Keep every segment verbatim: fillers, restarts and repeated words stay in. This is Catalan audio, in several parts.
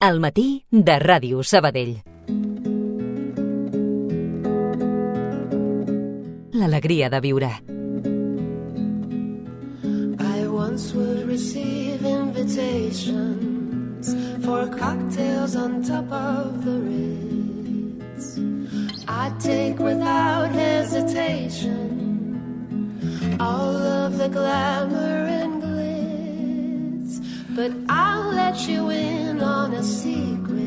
Al matí de Ràdio Sabadell. L'alegria de viure. I once would receive invitations for cocktails on top of the Ritz. I'd take without hesitation all of the glamour and glitz, but I'll let you in on a secret.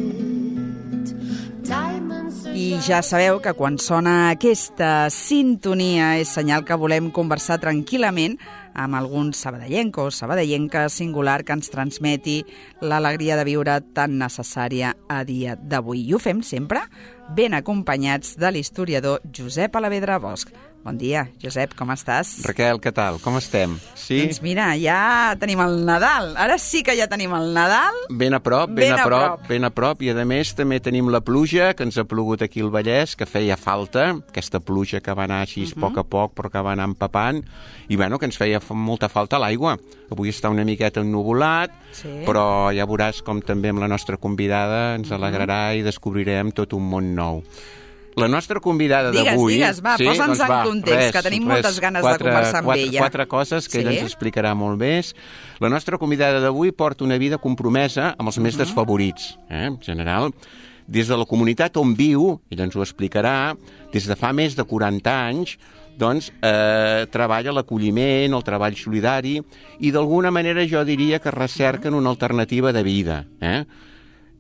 Diamonds are I ja sabeu que quan sona aquesta sintonia és senyal que volem conversar tranquil·lament amb algun sabadellenc o sabadellenca singular que ens transmeti l'alegria de viure tan necessària a dia d'avui. I ho fem sempre ben acompanyats de l'historiador Josep Alavedra Bosch. Bon dia, Josep, com estàs? Raquel, què tal? Com estem? Sí? Doncs mira, ja tenim el Nadal. Ara sí que ja tenim el Nadal. Ben a prop, ben, Ben a a prop, prop. ben a prop. I a més també tenim la pluja, que ens ha plogut aquí al Vallès, que feia falta, aquesta pluja que va anar així a poc a poc, però que va anar empapant, i bueno, que ens feia fa- molta falta l'aigua. Avui està una miqueta ennuvolat, Sí. però ja veuràs com també amb la nostra convidada ens alegrarà i descobrirem tot un món nou. La nostra convidada Digues, d'avui... digues, va, posa'ns en context, que tenim moltes ganes de quatre, conversar amb quatre, ella. Quatre coses que Sí? ella ens explicarà molt més. La nostra convidada d'avui porta una vida compromesa amb els més desfavorits, eh, en general. Des de la comunitat on viu, ella ens ho explicarà, des de fa més de quaranta anys, doncs eh, treballa l'acolliment, el treball solidari, i d'alguna manera jo diria que recerquen una alternativa de vida, eh?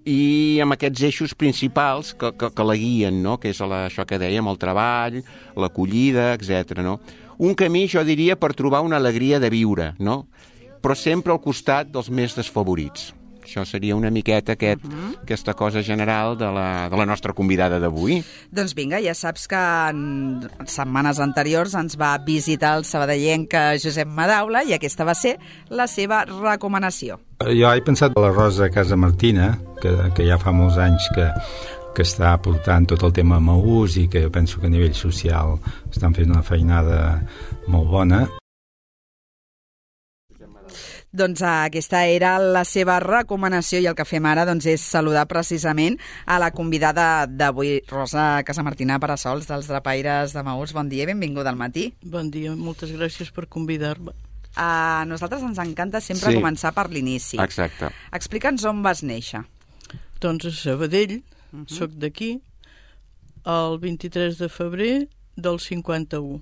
I amb aquests eixos principals que, que, que la guien, no? Que és la, això que dèiem, el treball, l'acollida, etcètera. No? Un camí, jo diria, per trobar una alegria de viure, no? Però sempre al costat dels més desfavorits. Això seria una miqueta aquest, uh-huh. aquesta cosa general de la, de la nostra convidada d'avui. Doncs vinga, ja saps que en setmanes anteriors ens va visitar el sabadellenc Josep Madaula i aquesta va ser la seva recomanació. Jo he pensat a la Rosa Casamartina, que, que ja fa molts anys que, que està portant tot el tema Maús i que penso que a nivell social estan fent una feinada molt bona. Doncs aquesta era la seva recomanació i el que fem ara doncs, és saludar precisament a la convidada d'avui, Rosa Casamartina Parasols, dels Drapaires de Maús. Bon dia i benvinguda al matí. Bon dia, moltes gràcies per convidar-me. A nosaltres ens encanta sempre Sí. començar per l'inici. Exacte. Explica'ns on vas néixer. Doncs a Sabadell, Uh -huh. soc d'aquí, el vint-i-tres de febrer del cinquanta-u.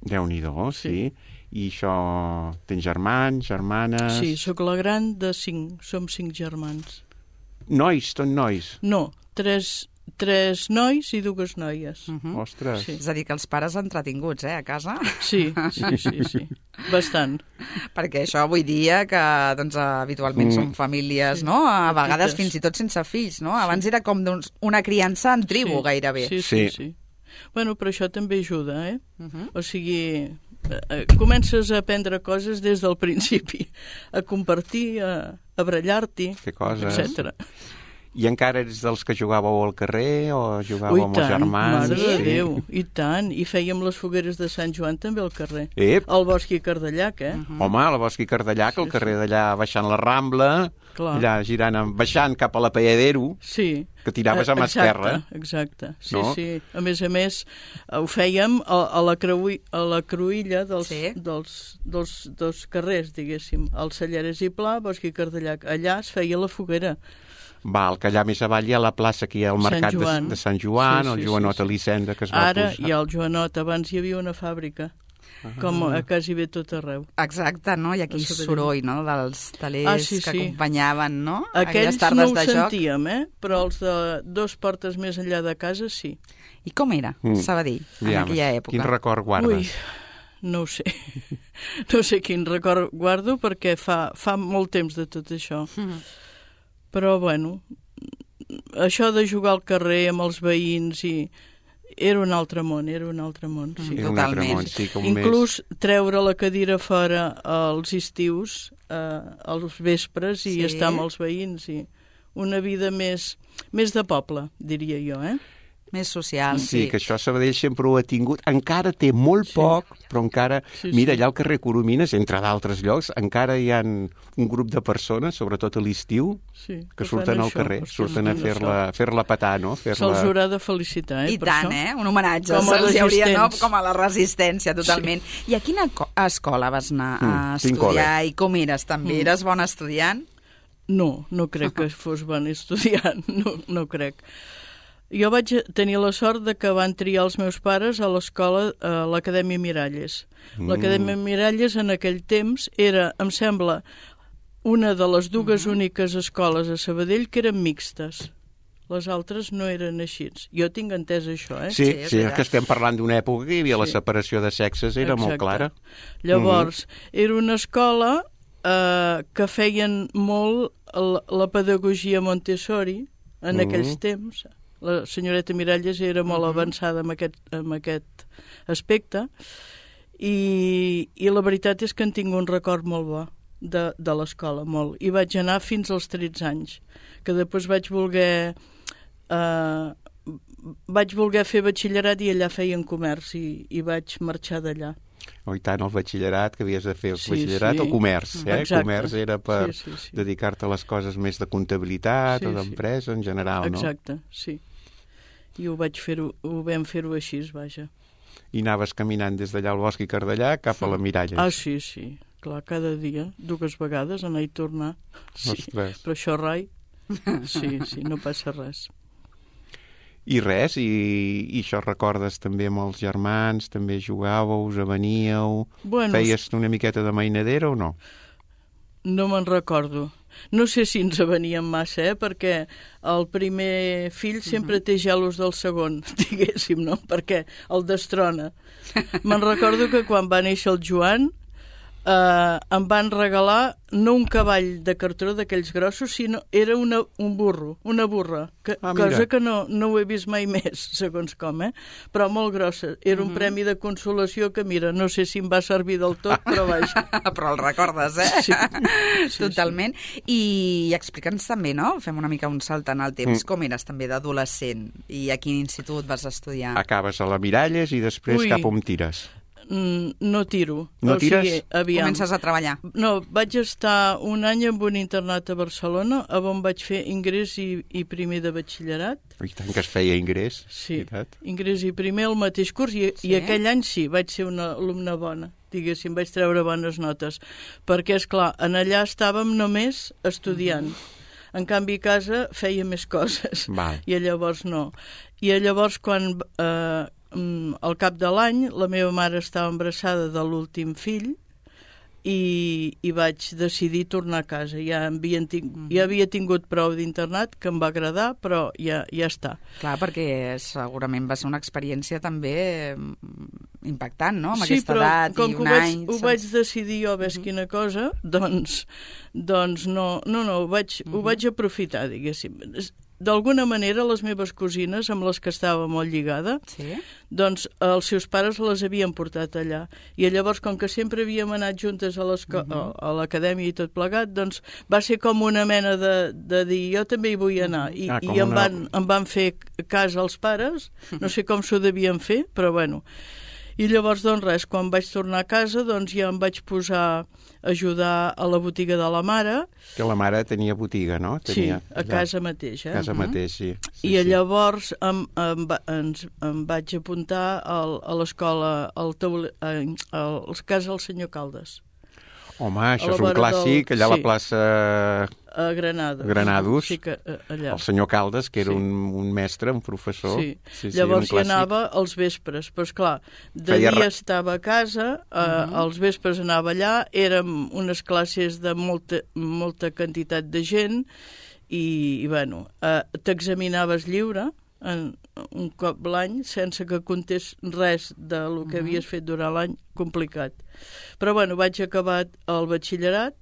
Déu-n'hi-do, sí. Sí. I això... Tens germans, germanes... Sí, sóc la gran de cinc, som cinc germans. Nois, tot nois. No, tres, tres nois i dues noies. Uh -huh. Ostres. Sí. És a dir, que els pares entretinguts, eh, a casa. Sí, sí, sí, sí, bastant. Perquè això avui dia, que doncs, habitualment Mm. són famílies, Sí. no? A Petites. vegades fins i tot sense fills, no? Abans era com doncs, una criança en tribu, Sí, gairebé. Sí, sí, Sí. sí. Bueno, però això també ajuda, eh? Uh -huh. O sigui, eh, eh, comences a aprendre coses des del principi, a compartir, a, a barallar-t'hi, Fer coses. etcètera. I encara ets dels que jugàveu al carrer o jugàveu Ui, amb els tant, germans? mare de Déu, i tant. I fèiem les fogueres de Sant Joan també al carrer. Ep, Al Bosc i Cardellac, eh? Mm. home, a la Bosc i Cardellac, al Sí, carrer d'allà baixant la Rambla, Clar. allà girant, amb- baixant cap a la Palladero, Sí. que tiraves amb Eh, exacte, esquerra. Exacte, sí, No? sí. A més a més, eh, ho fèiem a, a, la, creui, a la cruïlla dels, Sí. dels, dels, dels carrers, diguéssim. Al Celleres i Pla, Bosc i Cardellac. Allà es feia la foguera. Val, que allà més avall hi ha la plaça que hi ha el Sant mercat de, Joan. de Sant Joan, Sí, sí, el Joanot sí, sí. Elisenda, que es va Ara posar. hi ha el Joanot, abans hi havia una fàbrica, com a quasi bé tot arreu. Exacte, no? I aquell A Sabadell. soroll, no?, dels talers Ah, sí, que sí. acompanyaven, no? Aquells tardes no ho de joc. sentíem, eh? Però els de dos portes més enllà de casa, sí. I com era Mm. Sabadell en Aviam, aquella època? Quin record guardes? Ui, no ho sé. No sé quin record guardo perquè fa, fa molt temps de tot això. Mm. Però, bueno, això de jugar al carrer amb els veïns i... Era un altre món, era un altre món, sí. Era un altre totalment. món, sí, com Inclús treure la cadira fora als estius, eh, als vespres, i Sí. estar amb els veïns. I una vida més, més de poble, diria jo, eh? Més social, Sí, sí. que això Sabadell sempre ho ha tingut. Encara té molt Sí. poc, però encara... Sí, Mira, sí. allà al carrer Coromines, entre d'altres llocs, encara hi ha un grup de persones, sobretot a l'estiu, Sí, que fan surten al això, carrer, estem surten a fent fer-la això. fer-la petar, no? Se'ls Fer-la... haurà de felicitar, eh, I per tant, això. eh? Un homenatge. Com a Se'ls hi hauria, no? resistents. Com a la resistència, totalment. Sí. I a quina co- escola vas anar a Mm, quin estudiar col·le? i com eres, també? Mm. Eres bon estudiant? No, no crec que fos bon estudiant, no, no crec. Jo vaig tenir la sort de que van triar els meus pares a l'escola, a l'Acadèmia Miralles. Mm. L'Acadèmia Miralles en aquell temps era, em sembla, una de les dues úniques escoles a Sabadell que eren mixtes. Les altres no eren així. Jo tinc entès això, eh? Sí, Sí, sí, és sí, és veritat. que estem parlant d'una època que hi havia la Sí. separació de sexes, era molt Exacte. clara. Llavors, era una escola eh, que feien molt la, la pedagogia Montessori en Mhm. aquells temps. La senyoreta Miralles era molt avançada en aquest, en aquest aspecte i, i la veritat és que en tinc un record molt bo de, de l'escola, molt. I vaig anar fins als tretze anys, que després vaig voler... Eh, vaig voler fer batxillerat i allà feien comerç i, i vaig marxar d'allà. O i tant, el batxillerat, que havies de fer el Sí, batxillerat sí. o comerç, eh? Exacte. Comerç era per Sí, sí, sí. dedicar-te a les coses més de comptabilitat Sí, o sí. d'empresa en general, no? Exacte, sí. I ho vaig fer-ho, ho vam fer-ho així, vaja. I anaves caminant des d'allà al bosc i Cardellà cap a la Miralles. Ah, sí, sí. Clar, cada dia, dues vegades, anar i tornar. Sí, Ostres. però això rai. Sí, sí, no passa res. I res, i, i això recordes també amb els germans, també jugàveu, us aveníeu, Bueno, feies una miqueta de mainadera o no? no me'n recordo. No sé si ens aveníem massa, eh? Perquè el primer fill sempre té gelos del segon, diguéssim, no? Perquè el destrona. Me'n recordo que quan va néixer el Joan eh, em van regalar no un cavall de cartró d'aquells grossos, sinó era una, un burro, una burra, que, Ah, mira. cosa que no, no ho he vist mai més, segons com, eh? Però molt grossa. Era un premi de consolació que, mira, no sé si em va servir del tot, però vaja. Però el recordes, eh? Sí. Sí, Totalment. I explica'ns també, no? Fem una mica un salt en el temps. Mm. Com eres també d'adolescent? I a quin institut vas estudiar? Acabes a la Miralles i després Ui. cap on tires? Mm, no tiro. No o sigui, tires? aviam. Comences a treballar. No, vaig estar un any en un internat a Barcelona, on vaig fer ingrés i, i primer de batxillerat. I tant que es feia ingrés. Sí, veritat? ingrés i primer al mateix curs, i, Sí? i aquell any sí, vaig ser una alumna bona, diguéssim, vaig treure bones notes, perquè, és clar, en allà estàvem només estudiant. En canvi, a casa feia més coses, Val. i llavors no. I llavors, quan eh, mm, al cap de l'any, la meva mare estava embarassada de l'últim fill, i, i vaig decidir tornar a casa. Ja, havien ting ja havia tingut prou d'internat, que em va agradar, però ja, ja està. Clar, perquè segurament va ser una experiència també mm, impactant, no? Amb Sí, aquesta però edat com i que un ho vaig, any... ho vaig decidir jo, ves quina cosa, doncs, doncs no, no, no, ho vaig, ho vaig aprofitar, diguéssim. D'alguna manera, les meves cosines, amb les que estava molt lligada, Sí? doncs els seus pares les havien portat allà. I llavors, com que sempre havíem anat juntes a l'esco- a a l'acadèmia i tot plegat, doncs va ser com una mena de, de dir, jo també hi vull anar. I, Ah, com i em, una- van, em van fer cas als pares, no sé com s'ho devien fer, però bueno. I llavors, doncs res, quan vaig tornar a casa, doncs ja em vaig posar a ajudar a la botiga de la mare, Que la mare tenia botiga, no? Tenia, sí, a casa mateix, eh? A casa mateix, sí. sí I sí. llavors em, em, va- ens, em vaig apuntar al, a l'escola, al taule, a, als cas del senyor Caldes, Home, a això la és un vora clàssic, del- allà a la sí. plaça a Granados. Granados. Sí, que eh, allà. el senyor Caldes, que era Sí. un, un mestre, un professor. Sí. sí, sí Llavors un hi clàssic. anava als vespres, però esclar, de Feia dia ra- estava a casa, eh, als vespres anava allà, érem unes classes de molta, molta quantitat de gent i, i bueno, eh, t'examinaves lliure en un cop l'any sense que comptés res de lo que havies fet durant l'any, complicat. Però bueno, vaig acabar el batxillerat,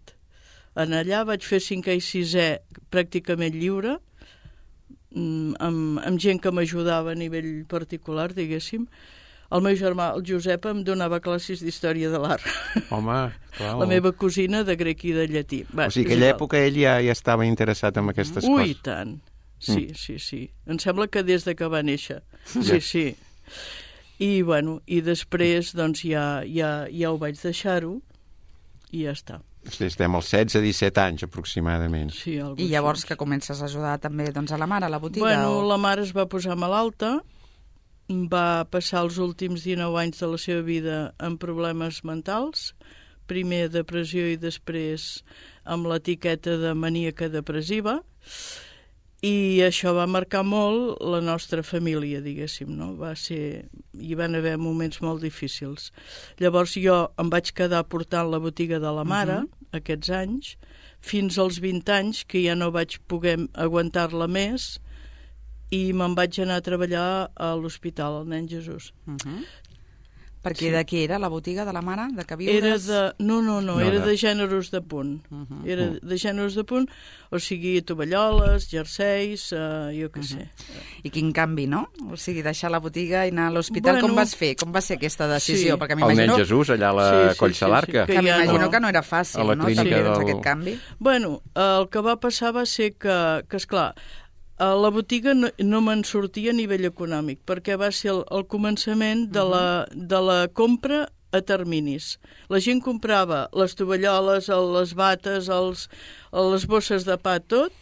en allà vaig fer cinquè i sisè pràcticament lliure, mm, amb, amb gent que m'ajudava a nivell particular, diguéssim. El meu germà, el Josep, em donava classes d'història de l'art. Home, clar. La meva cosina de grec i de llatí. Va, O sigui, és aquella igual. època ell ja, ja estava interessat en aquestes Ui, coses. tant. sí, Mm. sí, sí. Em sembla que des de que va néixer. Sí, sí. I, bueno, i després, doncs, ja, ja, ja ho vaig deixar-ho i ja està. Sí, estem als setze a disset anys, aproximadament. Sí, algo I llavors així. que comences a ajudar també doncs, a la mare a la botiga? Bueno, o... la mare es va posar malalta, va passar els últims dinou anys de la seva vida amb problemes mentals, primer depressió i després amb l'etiqueta de maníaca depressiva, i això va marcar molt la nostra família, diguéssim, no? Va ser... Hi van haver moments molt difícils. Llavors jo em vaig quedar portant la botiga de la mare, uh-huh. aquests anys, fins als vint anys, que ja no vaig poder aguantar-la més, i me'n vaig anar a treballar a l'hospital, al Nen Jesús. Uh-huh. Perquè Sí. de què era la botiga de la mare? De que viures? Era de... No, no, no, No, era de- de gèneres de punt. Uh-huh. Era de gèneres de punt, o sigui, tovalloles, jerseis, uh, jo què sé. I quin canvi, no? O sigui, deixar la botiga i anar a l'hospital, Bueno, com vas fer? Com va ser aquesta decisió? sí. Perquè El nen m'imagino Jesús, allà a la Sí, sí, Coll sí, Salarca. sí, que, que ja m'imagino no. que no era fàcil, A la no? clínica També, doncs, del- aquest canvi. Bueno, el que va passar va ser que, que esclar, a la botiga no, no me'n sortia a nivell econòmic, perquè va ser el, el començament de la, de la compra a terminis. La gent comprava les tovalloles, les bates, els, les bosses de pa, tot,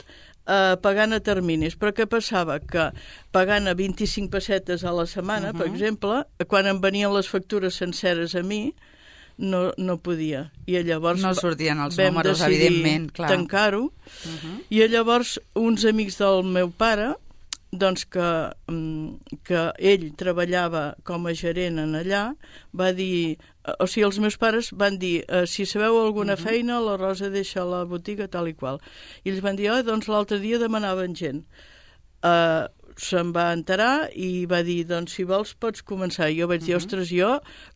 eh, pagant a terminis. Però què passava? Que pagant a vint-i-cinc pessetes a la setmana, uh-huh. per exemple, quan em venien les factures senceres a mi, no, no podia. I llavors No sortien els vam números, decidir evidentment, clar. tancar-ho. Uh-huh. I llavors uns amics del meu pare, doncs que, mm, que ell treballava com a gerent en allà, va dir, o sigui, els meus pares van dir, eh, si sabeu alguna uh-huh. feina, la Rosa deixa la botiga tal i qual. I ells van dir, oh, doncs l'altre dia demanaven gent. Uh, se'n va enterar i va dir, doncs si vols pots començar. I jo vaig dir, ostres, jo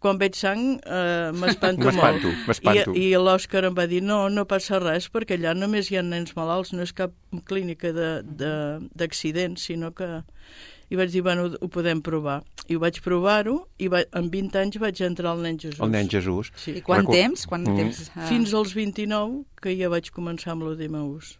quan veig sang eh, m'espanto molt. M'espanto, m'espanto. I, i l'Òscar em va dir, no, no passa res, perquè allà només hi ha nens malalts, no és cap clínica d'accidents, sinó que... I vaig dir, bueno, ho podem provar. I ho vaig provar-ho, i va, amb vint anys vaig entrar al Nen Jesús. El nen Jesús. Sí. I quant Recu- temps? Quant Mm. temps eh... Fins als vint-i-nou, que ja vaig començar amb l'O D M U S.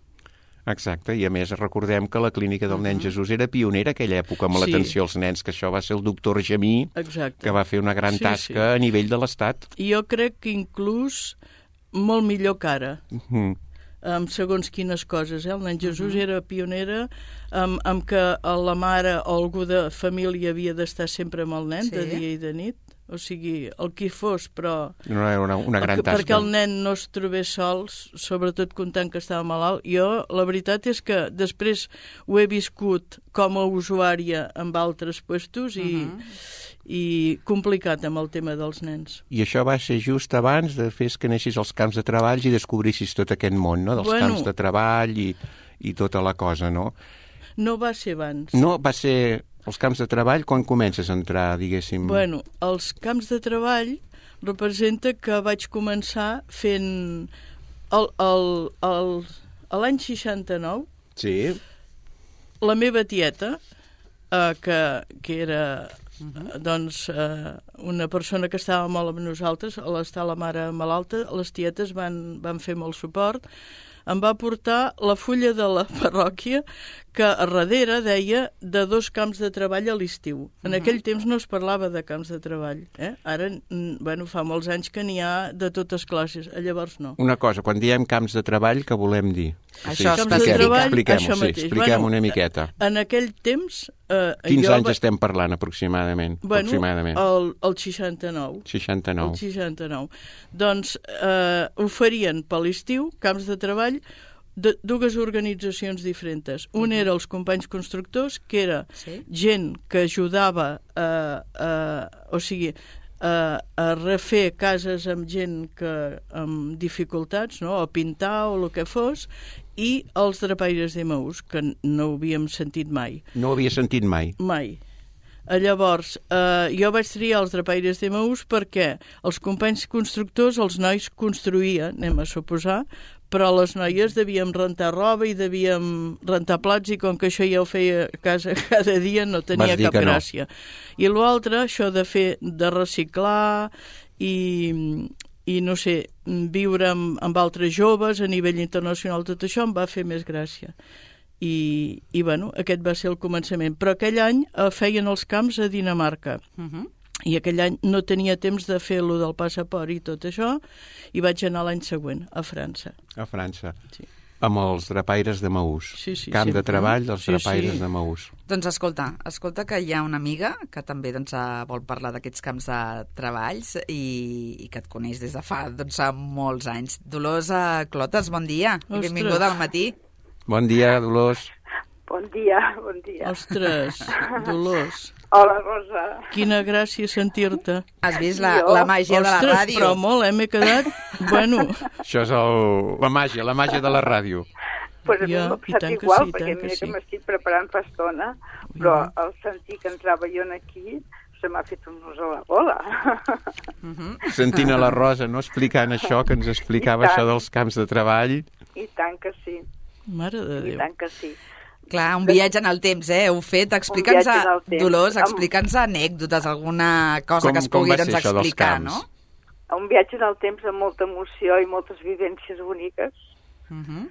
Exacte, i a més recordem que la clínica del nen Jesús era pionera aquella època amb Sí. l'atenció als nens, que això va ser el doctor Gemí, Exacte. que va fer una gran Sí, tasca sí. a nivell de l'Estat. I jo crec que inclús molt millor que ara. Mm. amb segons quines coses. Eh? El nen Jesús uh-huh. era pionera amb, amb que la mare o algú de família havia d'estar sempre amb el nen, Sí. de dia i de nit. O sigui, el qui fos, però... No era una, una gran que, tasca. perquè el nen no es trobés sols, sobretot comptant que estava malalt. Jo, la veritat és que després ho he viscut com a usuària amb altres puestos i, Uh-huh. i complicat amb el tema dels nens. I això va ser just abans de fer que anessis als camps de treball i descobrissis tot aquest món, no?, dels Bueno. camps de treball i, i tota la cosa, no? No va ser abans. No, va ser els camps de treball quan comences a entrar, diguéssim... Bueno, els camps de treball representa que vaig començar fent... El, el, el, a l'any seixanta-nou, Sí. la meva tieta, eh, que, que era uh-huh. doncs, eh, una persona que estava molt amb nosaltres, a l'estar la mare malalta, les tietes van, van fer molt suport, em va portar la fulla de la parròquia que a darrere deia de dos camps de treball a l'estiu. En Uh-huh. aquell temps no es parlava de camps de treball. Eh? Ara, mm, bueno, fa molts anys que n'hi ha de totes classes, llavors no. Una cosa, quan diem camps de treball, què volem dir? Això sí, Camps de expliquem, treball, expliquem-ho, això sí, mateix. expliquem Bueno, una miqueta. En aquell temps... Eh, Quins jo anys va- estem parlant, aproximadament? Bueno, aproximadament. el, el seixanta-nou. seixanta-nou. El seixanta-nou. Doncs eh, oferien per l'estiu camps de treball de dues organitzacions diferents. Un era els companys constructors, que era Sí. gent que ajudava a, a, o sigui, a, a refer cases amb gent que amb dificultats, no? A pintar o el que fos, i els drapaires d'Emaús, que no ho havíem sentit mai. No ho havia sentit mai. Mai. Eh, Llavors, eh, jo vaig triar els drapaires d'Emaús perquè els companys constructors, els nois construïen, anem a suposar, però les noies devíem rentar roba i devíem rentar plats i com que això ja ho feia a casa cada dia no tenia Vas dir cap que no. gràcia. I l'altre, això de fer, de reciclar i, i no sé, viure amb, amb altres joves a nivell internacional, tot això em va fer més gràcia. i, i bueno, aquest va ser el començament. Però aquell any eh, feien els camps a Dinamarca. Uh -huh. I aquell any no tenia temps de fer lo del passaport i tot això, i vaig anar l'any següent, a França. A França. Sí. Amb els drapaires de Maús. Sí, sí, Camp sempre. de treball dels Sí, drapaires sí. de Maús. Doncs escolta, escolta que hi ha una amiga que també doncs, vol parlar d'aquests camps de treballs i, i que et coneix des de fa doncs, molts anys. Dolors Clotes, bon dia. I Ostres. benvinguda al matí. Bon dia, Dolors. Bon dia, bon dia. Ostres, Dolors, Hola, Rosa. quina gràcia sentir-te. Has vist la, Jo? la màgia Ostres, de la ràdio? però molt, eh? M'he quedat... Bueno, Això és el... la màgia, la màgia de la ràdio. Pues a mi Ja, m'ha i passat tant que igual, sí, perquè tant que mira sí. que m'estic preparant fa estona, però al sentir que entrava jo aquí se m'ha fet un nus a la bola. Sentint a la Rosa, no explicant això, que ens explicava I tant. això dels camps de treball. I tant que sí, mare de i Déu. tant que sí. Clar, un viatge en el temps, eh? Heu fet, explica'ns, viatge en el temps. Dolors, Amb- explica'ns anècdotes, alguna cosa Com- que es com pugui va ser doncs, això dels explicar, camps? no? Un viatge en el temps amb molta emoció i moltes vivències úniques. Uh -huh.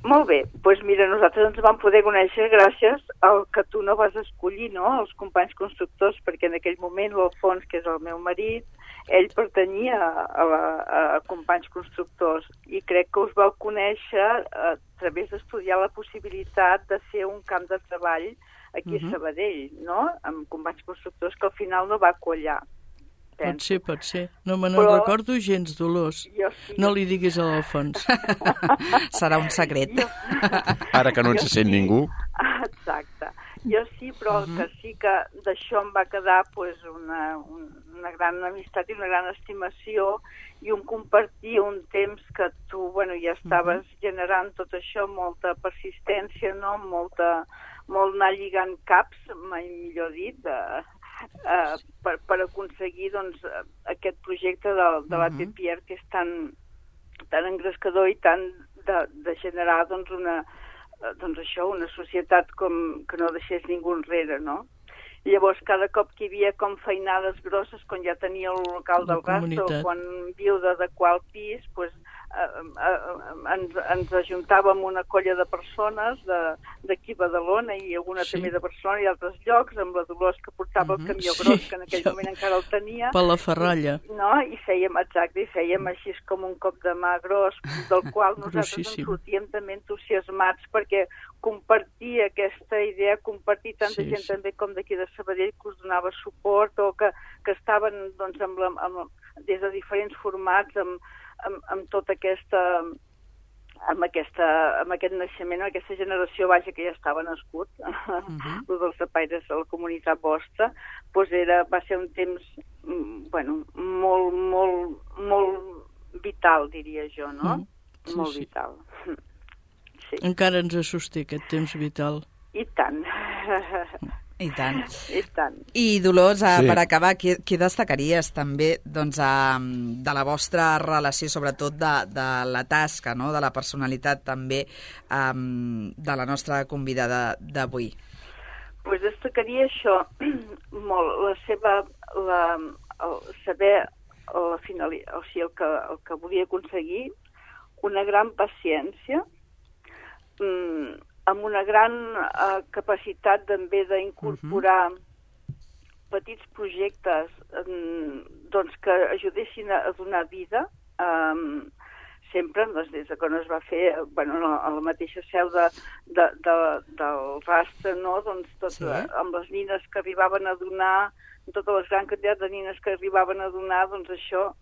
Molt bé, doncs mira, nosaltres ens vam poder conèixer gràcies al que tu no vas escollir, no?, els companys constructors, perquè en aquell moment l'Alfons, que és el meu marit, ell pertanyia a, la, a companys constructors i crec que us vau conèixer a través d'estudiar la possibilitat de fer un camp de treball aquí uh-huh. a Sabadell, no?, amb companys constructors, que al final no va quallar. Pot ser, pot ser. No me Però- n'en recordo gens, Dolors. Jo sí. No li diguis a l'Alfons. Serà un secret. Jo... Ara que no ens sent ningú. Exacte. Jo sí, però el que sí que d'això em va quedar pues, una, una gran amistat i una gran estimació i un compartir un temps que tu bueno, ja estaves generant tot això, molta persistència, no? molta, molt anar lligant caps, mai millor dit, de, uh, per, per aconseguir doncs, aquest projecte de, de la P P R que és tan, tan engrescador i tan de, de generar doncs, una, doncs això, una societat com, que no deixés ningú enrere, no? I llavors, cada cop que hi havia com feinades grosses, quan ja tenia el local La del gasto, comunitat. quan viu d'adequar el pis, pues, eh, eh, ens, ens ajuntàvem una colla de persones d'aquí a Badalona i alguna Sí. també de Barcelona i altres llocs, amb la Dolors que portava el camió Sí, gros, que en aquell jo- moment encara el tenia. Per la ferralla. No? I fèiem, exacte, i fèiem així com un cop de mà gros, del qual nosaltres ens Grossíssim. sortíem també entusiasmats perquè compartir aquesta idea, compartir tanta Sí, gent sí. també com d'aquí de Sabadell que us donava suport o que, que estaven doncs, amb la, amb, des de diferents formats amb, amb, amb tota aquesta amb, aquesta, amb aquest naixement, amb aquesta generació vaja que ja estava nascut, uh -huh. dels tapaires de la comunitat vostra, doncs era, va ser un temps mm, bueno, molt, molt, molt vital, diria jo, no? Mm, sí, molt sí. vital. Sí. Encara ens sosté aquest temps vital. I tant. I tant. I tant. I Dolors, sí. Sí. per acabar, què, què destacaries també doncs, a, de la vostra relació, sobretot de, de la tasca, no? De la personalitat també um, de la nostra convidada d'avui? Pues destacaria això molt, la seva, la, el saber la finali, o sigui, el que, el que volia aconseguir, una gran paciència, mm, amb una gran uh, capacitat també d'incorporar uh -huh. petits projectes um, doncs, que ajudessin a, a donar vida, um, sempre doncs, des que no es va fer bueno, a la mateixa seu de, de, de, del rastre, no? Doncs, tot, Sí. amb les nines que arribaven a donar, totes les grans quantitats de nines que arribaven a donar, doncs això,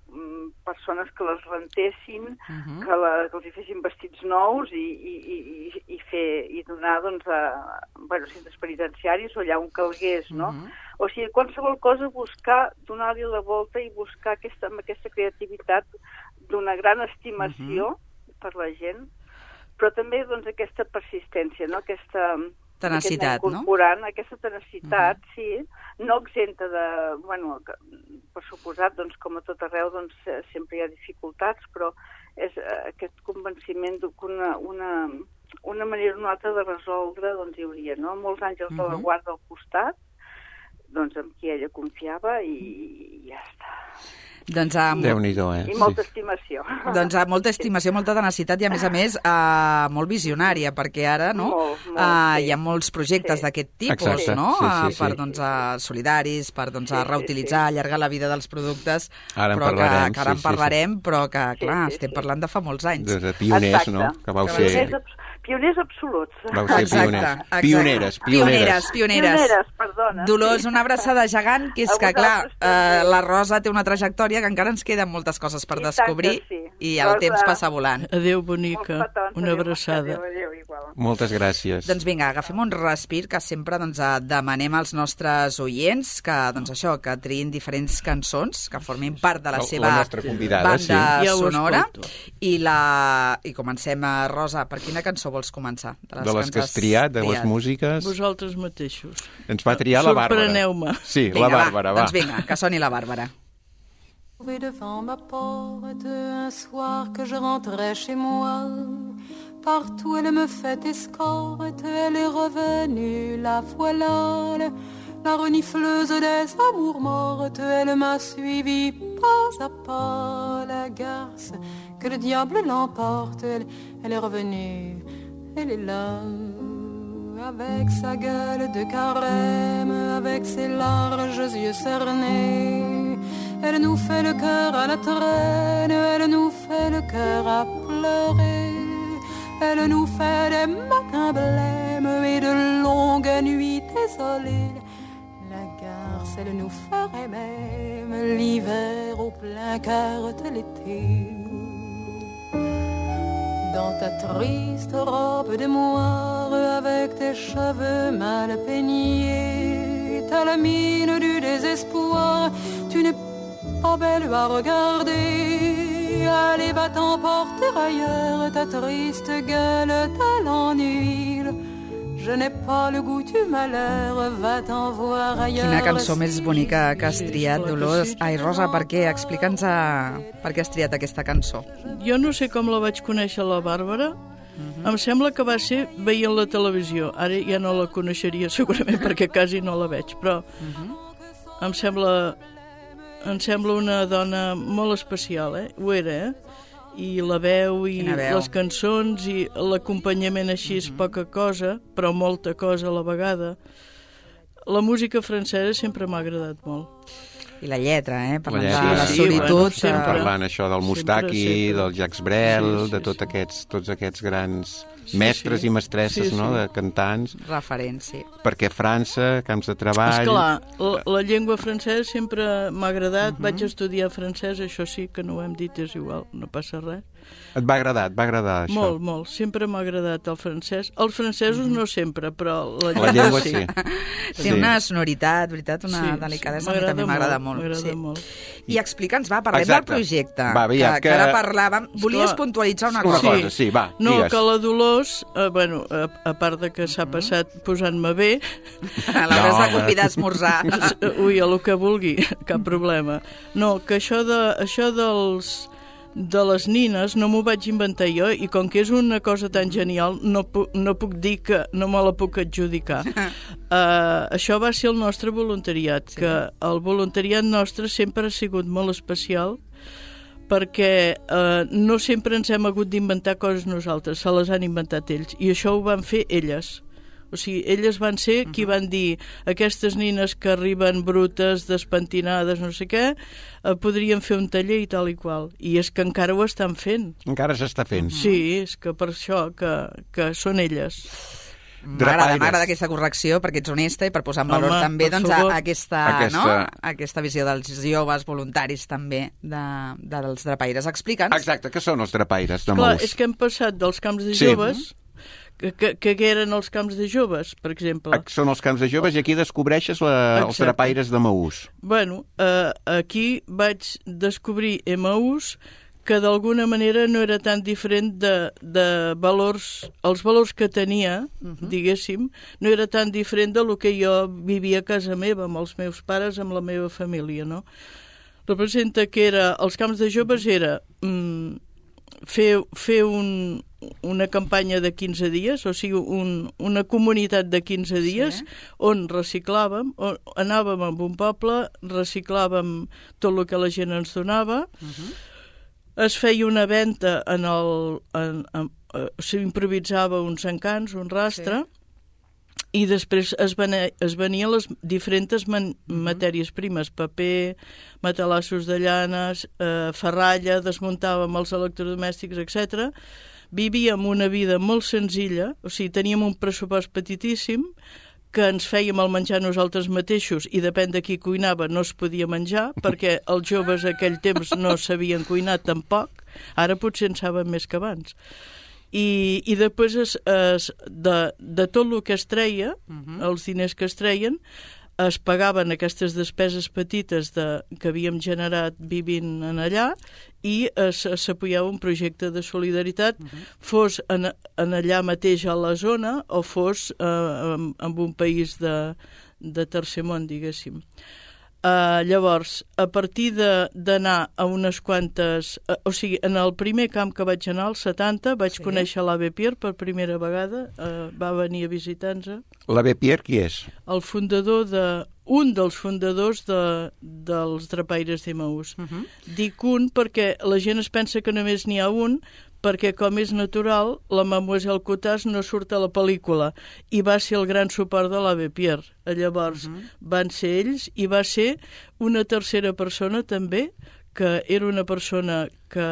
persones que les rentessin, uh -huh. que, la, que els hi fessin vestits nous i, i, i, i, fer, i donar doncs, a bueno, centres penitenciaris o allà on calgués, no? Uh -huh. O sigui, qualsevol cosa, buscar, donar-li la volta i buscar aquesta, amb aquesta creativitat d'una gran estimació uh -huh. per la gent, però també doncs, aquesta persistència, no? Aquesta tenacitat, no? Incorporant aquesta tenacitat, uh -huh. sí, no exenta de, bueno, per suposat, doncs, com a tot arreu, doncs, sempre hi ha dificultats, però és aquest convenciment que una, una, una manera o una altra de resoldre, doncs, hi hauria, no? Molts àngels uh -huh. de la guarda al costat, doncs, amb qui ella confiava i, i ja està. Doncs amb, Déu-n'hi-do, eh? I molta estimació. doncs amb molta estimació, molta tenacitat i, a més a més, eh, molt visionària, perquè ara no, Molt, molt, eh, sí. hi ha molts projectes Sí. d'aquest tipus, Exacte, no? sí, sí, Eh, per, sí. doncs, eh, solidaris, per doncs, Sí, sí, reutilitzar, sí. allargar la vida dels productes, Ara en però que, parlarem, que ara sí, en sí, parlarem, però que, Sí, clar, sí, estem sí. parlant de fa molts anys. De, de pioners, Exacte. no? Que vau Pioners, ser... abs- pioners absoluts. Vau ser Exacte, pioners. exacte. Pioneres, pioneres. Pioneres, pioneres. Pioneres, perdona. Dolors, sí. una abraçada gegant, que és A que, clar, vosaltres eh, també. la Rosa té una trajectòria que encara ens queden moltes coses per I tant descobrir que sí. i el Rosa. temps passa volant. Adéu, Molts bonica. petons, Una adéu, abraçada. Adéu, adéu, igual. Moltes gràcies. Doncs vinga, agafem un respir, que sempre doncs, eh, demanem als nostres oients que, doncs, això, que triïn diferents cançons, que formin part de la La- seva la nostra convidada, banda sí. Ja ho sonora. escolto. I, la... I comencem, a Rosa, per quina cançó vols començar? De les ens que has triat, de les músiques... Vosaltres mateixos. Ens va triar la Bàrbara. Sorpreneu-me. Sí, Vinga, la Bàrbara, va. Doncs vinga, que soni la Bàrbara. Trouvé devant ma porte un soir que je rentrais chez moi. Partout elle me fait escorte, elle est revenue, la voilà. La renifleuse des amours mortes, elle m'a suivi pas à pas. La garce, que le diable l'emporte, elle, elle est revenue, elle est là. Avec sa gueule de carême, avec ses larges yeux cernés, elle nous fait le cœur à la traîne, elle nous fait le cœur à pleurer. Elle nous fait des matins blêmes et de longues nuits désolées. La garce, elle nous ferait même l'hiver au plein cœur de l'été. Dans ta triste robe de moire, avec tes cheveux mal peignés, t'as la mine du désespoir, tu n'es pas belle à regarder. Allez, va t'emporter ailleurs, ta triste gueule, t'as l'ennui. Je n'ai pas le goût du malheur, va t'en voir ailleurs. Quina cançó més bonica que has Sí, triat, clar que Dolors. sí. Ai, Rosa, per què? Explica'ns a... per què has triat aquesta cançó. Jo no sé com la vaig conèixer, la Bàrbara. Mhm. Em sembla que va ser veient la televisió. Ara ja no la coneixeria segurament perquè quasi no la veig, però Mhm. em sembla em sembla una dona molt especial, eh? Ho era, eh? I la veu i Quina veu. les cançons i l'acompanyament així és poca cosa, però molta cosa a la vegada. La música francesa sempre m'ha agradat molt. I la lletra, eh? Parlant lletra, de la sí, solitud. bueno, eh, sempre. Parlant això del Mustaki, sempre. del Jacques Brel, Sí, sí, de tots sí. aquests, tots aquests grans Sí, mestres sí. i mestresses, Sí, no?, sí. de cantants, Referent, sí. perquè França, camps de treball... Esclar, la, la llengua francesa sempre m'ha agradat, vaig estudiar francès, això sí que no ho hem dit, és igual, no passa res. Et va agradar, et va agradar això? Molt, molt, sempre m'ha agradat el francès. Els francesos no sempre, però la llengua, La llengua sí. Té Sí. una sonoritat, veritat, una Sí, delicadesa, sí, a mi també m'agrada molt, molt. m'agrada sí. molt. I explica'ns, va, parlem Exacte. del projecte. Va, aviam, que, que- que ara parlàvem. Volies Esclar. puntualitzar una Una cosa. cosa, sí, va, No, digues. que la Dolors, eh, bueno, a, a part de que s'ha passat posant-me bé, L'hauràs No, de convidar a esmorzar. ui, a lo que vulgui, cap problema. No, que això, de, això dels de les nines no m'ho vaig inventar jo i com que és una cosa tan genial no, pu no puc dir que no me la puc adjudicar. Uh, això va ser el nostre voluntariat, sí. Que el voluntariat nostre sempre ha sigut molt especial perquè uh, no sempre ens hem hagut d'inventar coses nosaltres, se les han inventat ells i això ho van fer elles. O sigui, elles van ser qui van dir aquestes nines que arriben brutes, despentinades, no sé què, eh, podrien fer un taller i tal i qual. I és que encara ho estan fent. Encara s'està fent. Sí, és que per això que, que són elles. M'agrada, Drapaires. m'agrada aquesta correcció perquè ets honesta i per posar en valor Home, també per doncs, a, favor. aquesta, Aquesta- No? aquesta visió dels joves voluntaris també de, de, dels drapaires. Explica'ns. Exacte, què són els drapaires de Clar, Mous? és que hem passat dels camps de Sí. joves, que, que, que eren els camps de joves, per exemple. Són els camps de joves i aquí descobreixes la, els Exacte. drapaires de Maús. Bueno, eh, aquí vaig descobrir Emaús que d'alguna manera no era tan diferent de, de valors, els valors que tenia, uh -huh. diguéssim, no era tan diferent de lo que jo vivia a casa meva, amb els meus pares, amb la meva família, no? Representa que era, els camps de joves era mm, fer, fer un, una campanya de quinze dies, o sigui, un, una comunitat de quinze dies, sí. on reciclàvem, on anàvem a un poble, reciclàvem tot el que la gent ens donava, uh-huh. es feia una venda en el... En, en, s'improvisava uns encants, un rastre, sí. i després es, venia, es venien les diferents man, uh-huh. matèries primes, paper, matalassos de llanes, eh, ferralla, desmuntàvem els electrodomèstics, etcètera. Vivíem una vida molt senzilla, o sigui, teníem un pressupost petitíssim, que ens fèiem el menjar nosaltres mateixos i depèn de qui cuinava no es podia menjar, perquè els joves aquell temps no sabien cuinar tampoc, ara potser en saben més que abans. I, i després es, es, de, de tot el que es treia, uh-huh. els diners que es treien, es pagaven aquestes despeses petites de, que havíem generat vivint en allà i s'apoyava un projecte de solidaritat, uh-huh. fos en, en allà mateix a la zona o fos eh, en, en un país de, de tercer món, diguéssim. Uh, llavors, a partir d'anar a unes quantes... Uh, o sigui, en el primer camp que vaig anar, als setanta, vaig sí. conèixer l'Abe Pierre per primera vegada, uh, va venir a visitar-nos. L'Abe Pierre qui és? El fundador de... un dels fundadors de, dels Drapaires d'Emmaús. Uh-huh. Dic un perquè la gent es pensa que només n'hi ha un, perquè com és natural, la Mademoiselle Couttas no surt a la pel·lícula i va ser el gran suport de l'Abe Pierre. Llavors uh-huh. van ser ells i va ser una tercera persona també, que era una persona que,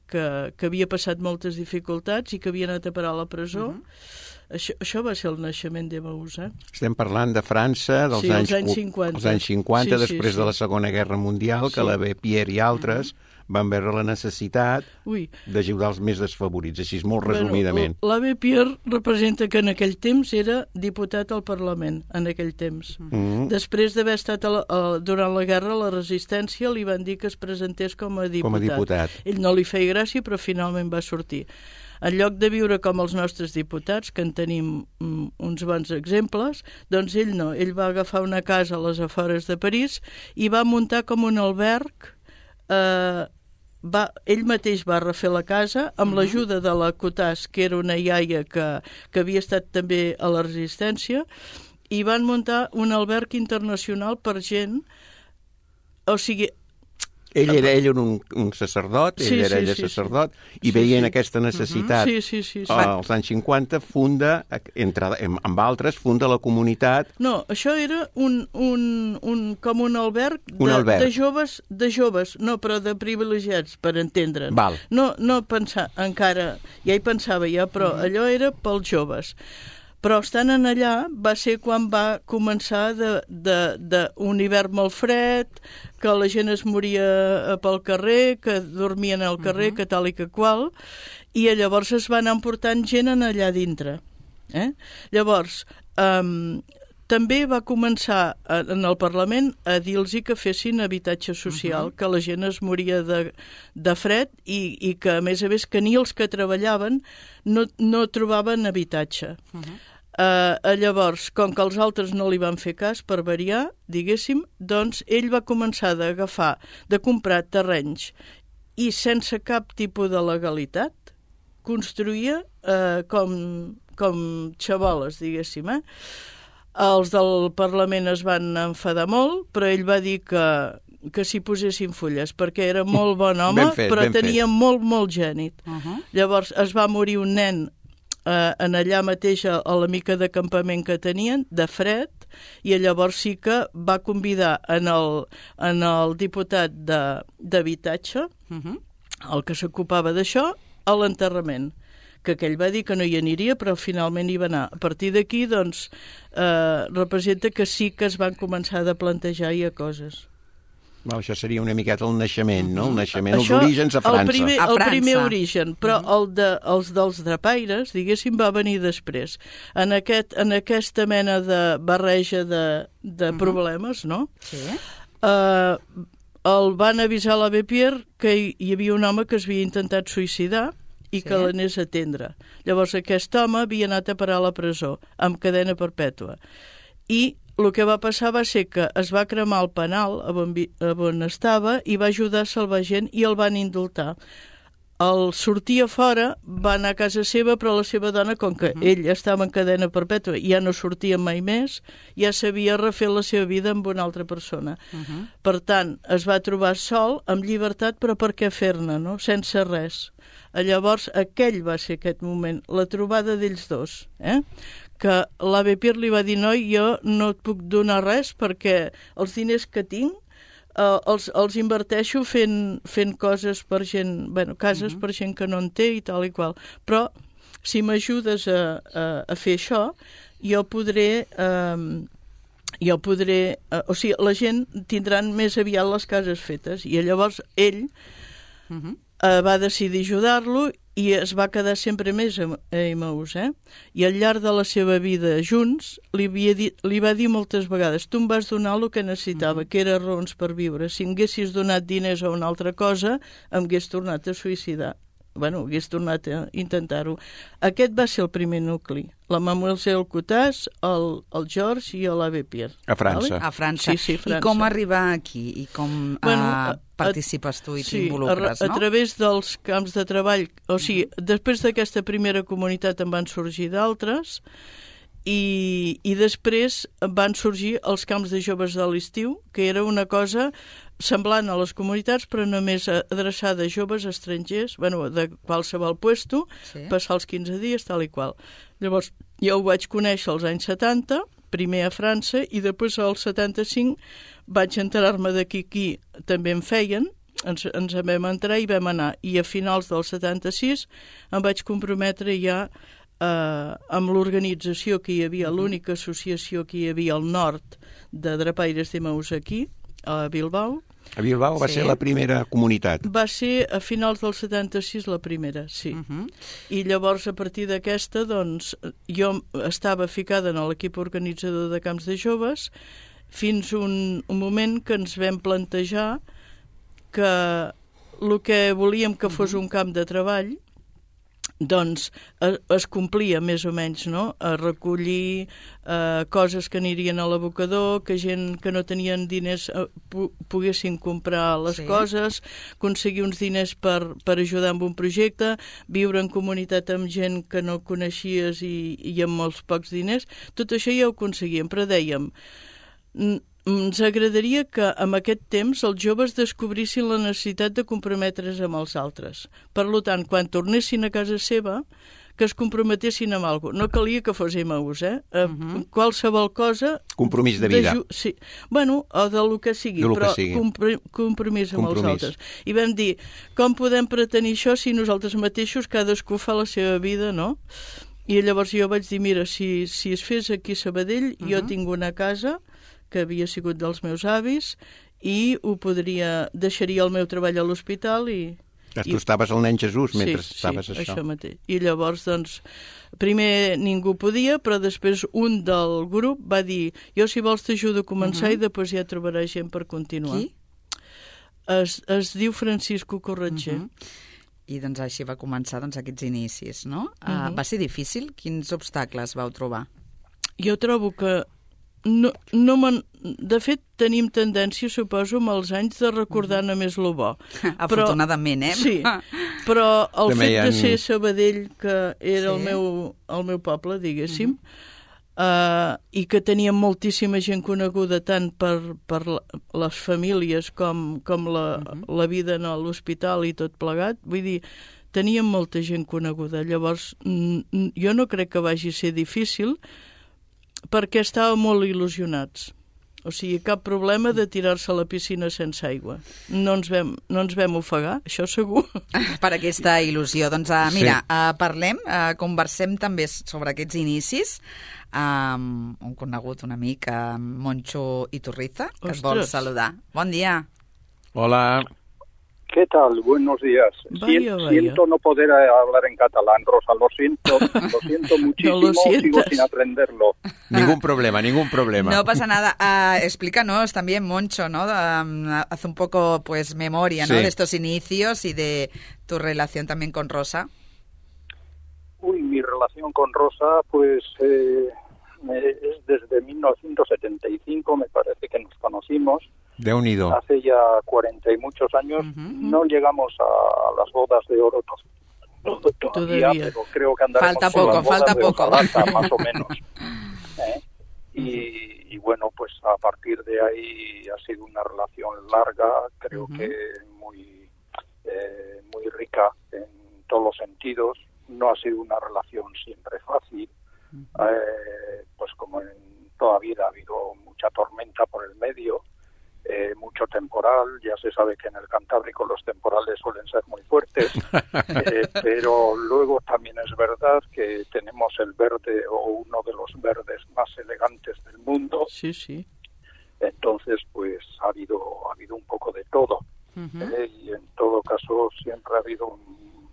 que, que havia passat moltes dificultats i que havia anat a parar a la presó. Uh-huh. Això, això va ser el naixement d'Emmaús, eh? Estem parlant de França dels sí, anys, anys cinquanta, els anys cinquanta sí, després sí, sí. de la Segona Guerra Mundial, que sí. l'Abe Pierre i altres uh-huh. van veure la necessitat d'ajudar els més desfavorits, així molt resumidament. Bueno, l'Abe Pierre representa que en aquell temps era diputat al Parlament, en aquell temps. Uh-huh. Després d'haver estat a la, a, durant la guerra, la resistència li van dir que es presentés com a diputat. Com a diputat. Ell no li feia gràcia, però finalment va sortir. En lloc de viure com els nostres diputats, que en tenim mm, uns bons exemples, doncs ell no. Ell va agafar una casa a les afores de París i va muntar com un alberg. Eh, va, ell mateix va refer la casa amb uh-huh. l'ajuda de la Couttas, que era una iaia que, que havia estat també a la resistència, i van muntar un alberg internacional per gent... O sigui... Ell era, ell era un, un sacerdot, ell sí, era sí, ella sí, sacerdot, sí. i sí, veient sí. aquesta necessitat uh-huh. sí, sí, sí, sí. als anys cinquanta, funda, entre, amb altres, funda la comunitat... No, això era un, un, un, com un alberg, de, un alberg. de joves, de joves, no, però de privilegiats, per entendre'n. Val. No, no pensar, encara, ja hi pensava ja, però uh-huh. allò era pels joves. Però estant en allà va ser quan va començar de, de, de un hivern molt fred, que la gent es moria pel carrer, que dormien al carrer, uh-huh. que tal i que qual, i llavors es van emportant gent en allà dintre. Eh? Llavors, um, també va començar en el Parlament a dir-los que fessin habitatge social, uh-huh. que la gent es moria de, de fred i, i que, a més a més, que ni els que treballaven no, no trobaven habitatge. Uh-huh. Uh, llavors, com que els altres no li van fer cas, per variar, diguéssim, doncs ell va començar d'agafar, de comprar terrenys i sense cap tipus de legalitat construïa uh, com, com xaboles, diguéssim, eh? Els del Parlament es van enfadar molt, però ell va dir que, que s'hi posessin fulles, perquè era molt bon home, fet, però tenia fet. molt, molt gènit. Uh-huh. Llavors es va morir un nen eh, en allà mateix a, a la mica de campament que tenien, de fred, i llavors sí que va convidar en el, en el diputat d'habitatge, uh-huh. el que s'ocupava d'això, a l'enterrament, que aquell va dir que no hi aniria, però finalment hi va anar. A partir d'aquí, doncs, eh, representa que sí que es van començar a plantejar ja coses. Well, això seria una miqueta el naixement, no? El naixement, això, els orígens a França. El primer, a el França. primer origen, però el de, els dels drapaires, diguéssim, va venir després. En, aquest, en aquesta mena de barreja de, de uh-huh. problemes, no? Sí. Eh, el van avisar a l'Abe Pierre que hi, hi havia un home que es havia intentat suïcidar i sí. que l'anés a atendre. Llavors aquest home havia anat a parar a la presó, amb cadena perpètua. I el que va passar va ser que es va cremar el penal on, on estava i va ajudar a salvar gent i el van indultar. el sortia fora, va anar a casa seva, però la seva dona, com que uh-huh. ell estava en cadena perpètua i ja no sortia mai més, ja sabia refer la seva vida amb una altra persona. Uh-huh. Per tant, es va trobar sol, amb llibertat, però per què fer-ne, no? Sense res. Llavors, aquell va ser aquest moment, la trobada d'ells dos, eh? Que l'A V P I R li va dir, noi, jo no et puc donar res perquè els diners que tinc Uh, els, els inverteixo fent, fent coses per gent, bueno, cases uh-huh. per gent que no en té i tal i qual. Però si m'ajudes a, a, a fer això, jo podré... Um, jo podré... Uh, o sigui, la gent tindran més aviat les cases fetes. I llavors ell uh-huh. uh, va decidir ajudar-lo i es va quedar sempre més a Emmaús, eh? I al llarg de la seva vida junts li, havia dit, li va dir moltes vegades, tu em vas donar el que necessitava, mm-hmm. que era raons per viure. Si em haguessis donat diners a una altra cosa, em hagués tornat a suïcidar. Bueno, hagués tornat a intentar-ho. Aquest va ser el primer nucli. La Mademoiselle Cotàs, el, el George i l'A V P I R. A França. Vale? A França. Sí, sí, França. I com arribar aquí? I com bueno, uh, participes tu i sí, t'involucres, a, no? A través dels camps de treball. O sigui, després d'aquesta primera comunitat en van sorgir d'altres i, i després van sorgir els camps de joves de l'estiu, que era una cosa semblant a les comunitats, però només adreçada a joves estrangers, bueno, de qualsevol puesto, sí. Passar els quinze dies, tal i qual. Llavors, jo ho vaig conèixer als anys setanta, primer a França, i després al setanta-cinc vaig enterar-me de qui aquí també en feien, ens, ens en vam entrar i vam anar. I a finals del setanta-sis em vaig comprometre ja eh, amb l'organització que hi havia, l'única associació que hi havia al nord de Drapaires d'Emmaús aquí, a Bilbao. A Bilbao va sí. ser la primera comunitat. Va ser a finals del setanta-sis la primera, sí. Uh-huh. I llavors, a partir d'aquesta, doncs, jo estava ficada en l'equip organitzador de camps de joves fins un, un moment que ens vam plantejar que el que volíem que fos un camp de treball doncs es complia més o menys, no? A recollir eh, coses que anirien a l'abocador, que gent que no tenien diners eh, pu poguessin comprar les sí. coses, aconseguir uns diners per, per ajudar amb un projecte, viure en comunitat amb gent que no coneixies i, i amb molts pocs diners. Tot això ja ho aconseguíem, però dèiem... Ens agradaria que en aquest temps els joves descobrissin la necessitat de comprometre's amb els altres. Per tant, quan tornessin a casa seva, que es comprometessin amb alguna cosa. No calia que fos Emmaús, eh? Uh-huh. Qualsevol cosa... Compromís de vida. De sí. Bueno, o de lo que sigui, lo però que sigui. Compr compromís amb compromís. els altres. I vam dir, com podem pretenir això si nosaltres mateixos cadascú fa la seva vida, no? I llavors jo vaig dir, mira, si, si es fes aquí a Sabadell, uh-huh. jo tinc una casa que havia sigut dels meus avis i ho podria... deixaria el meu treball a l'hospital i... Tu i... estaves el nen Jesús mentre sí, estaves sí, això. això mateix. I llavors, doncs, primer ningú podia, però després un del grup va dir jo si vols t'ajudo a començar uh-huh. i després ja trobaràs gent per continuar. Qui? Es, es diu Francisco Corretger. Uh-huh. I doncs així va començar doncs, aquests inicis, no? Uh-huh. uh, va ser difícil? Quins obstacles vau trobar? Jo trobo que No, no de fet, tenim tendència, suposo, amb els anys de recordar només lo bo. Afortunadament, però, eh? Sí, però el També fet ha... de ser Sabadell, que era sí. el, meu, el meu poble, diguéssim, uh-huh. uh, i que teníem moltíssima gent coneguda tant per, per les famílies com, com la, uh-huh. la vida a l'hospital i tot plegat, vull dir, teníem molta gent coneguda. Llavors, jo no crec que vagi ser difícil, perquè estàvem molt il·lusionats. O sigui, cap problema de tirar-se a la piscina sense aigua. No ens vam, no ens vam ofegar, això segur. Per aquesta il·lusió. Doncs uh, mira, sí. uh, parlem, uh, conversem també sobre aquests inicis amb um, un conegut, un amic, uh, Moncho Iturriza, que Ostres. Es vol saludar. Bon dia. Hola. ¿Qué tal? Buenos días. Vaya, siento, vaya. siento no poder hablar en catalán, Rosa, lo siento, lo siento muchísimo, no lo sigo sin aprenderlo. Ningún problema, ningún problema. No pasa nada. Uh, explícanos también, Moncho, ¿no? Um, haz un poco, pues, memoria, ¿no? Sí. De estos inicios y de tu relación también con Rosa. Uy, mi relación con Rosa, pues, eh, es desde mil novecientos setenta y cinco, me parece que nos conocimos. Déu-n'hi-do. Hace ya cuarenta y muchos años. Uh-huh. No llegamos a las bodas de oro todavía, todavía. Pero creo que andaremos falta poco, las bodas falta de poco. Ojalata, más o menos. ¿Eh? Y, y bueno, pues a partir de ahí ha sido una relación larga, creo uh-huh. que muy, eh, muy rica en todos los sentidos. No ha sido una relación siempre fácil, uh-huh. eh, pues como en toda vida ha habido mucha tormenta por el medio, eh, mucho temporal. Ya se sabe que en el Cantábrico los temporales suelen ser muy fuertes, eh, pero luego también es verdad que tenemos el verde o uno de los verdes más elegantes del mundo. Sí, sí. Entonces, pues ha habido ha habido un poco de todo. Uh-huh. eh, y en todo caso siempre ha habido, un,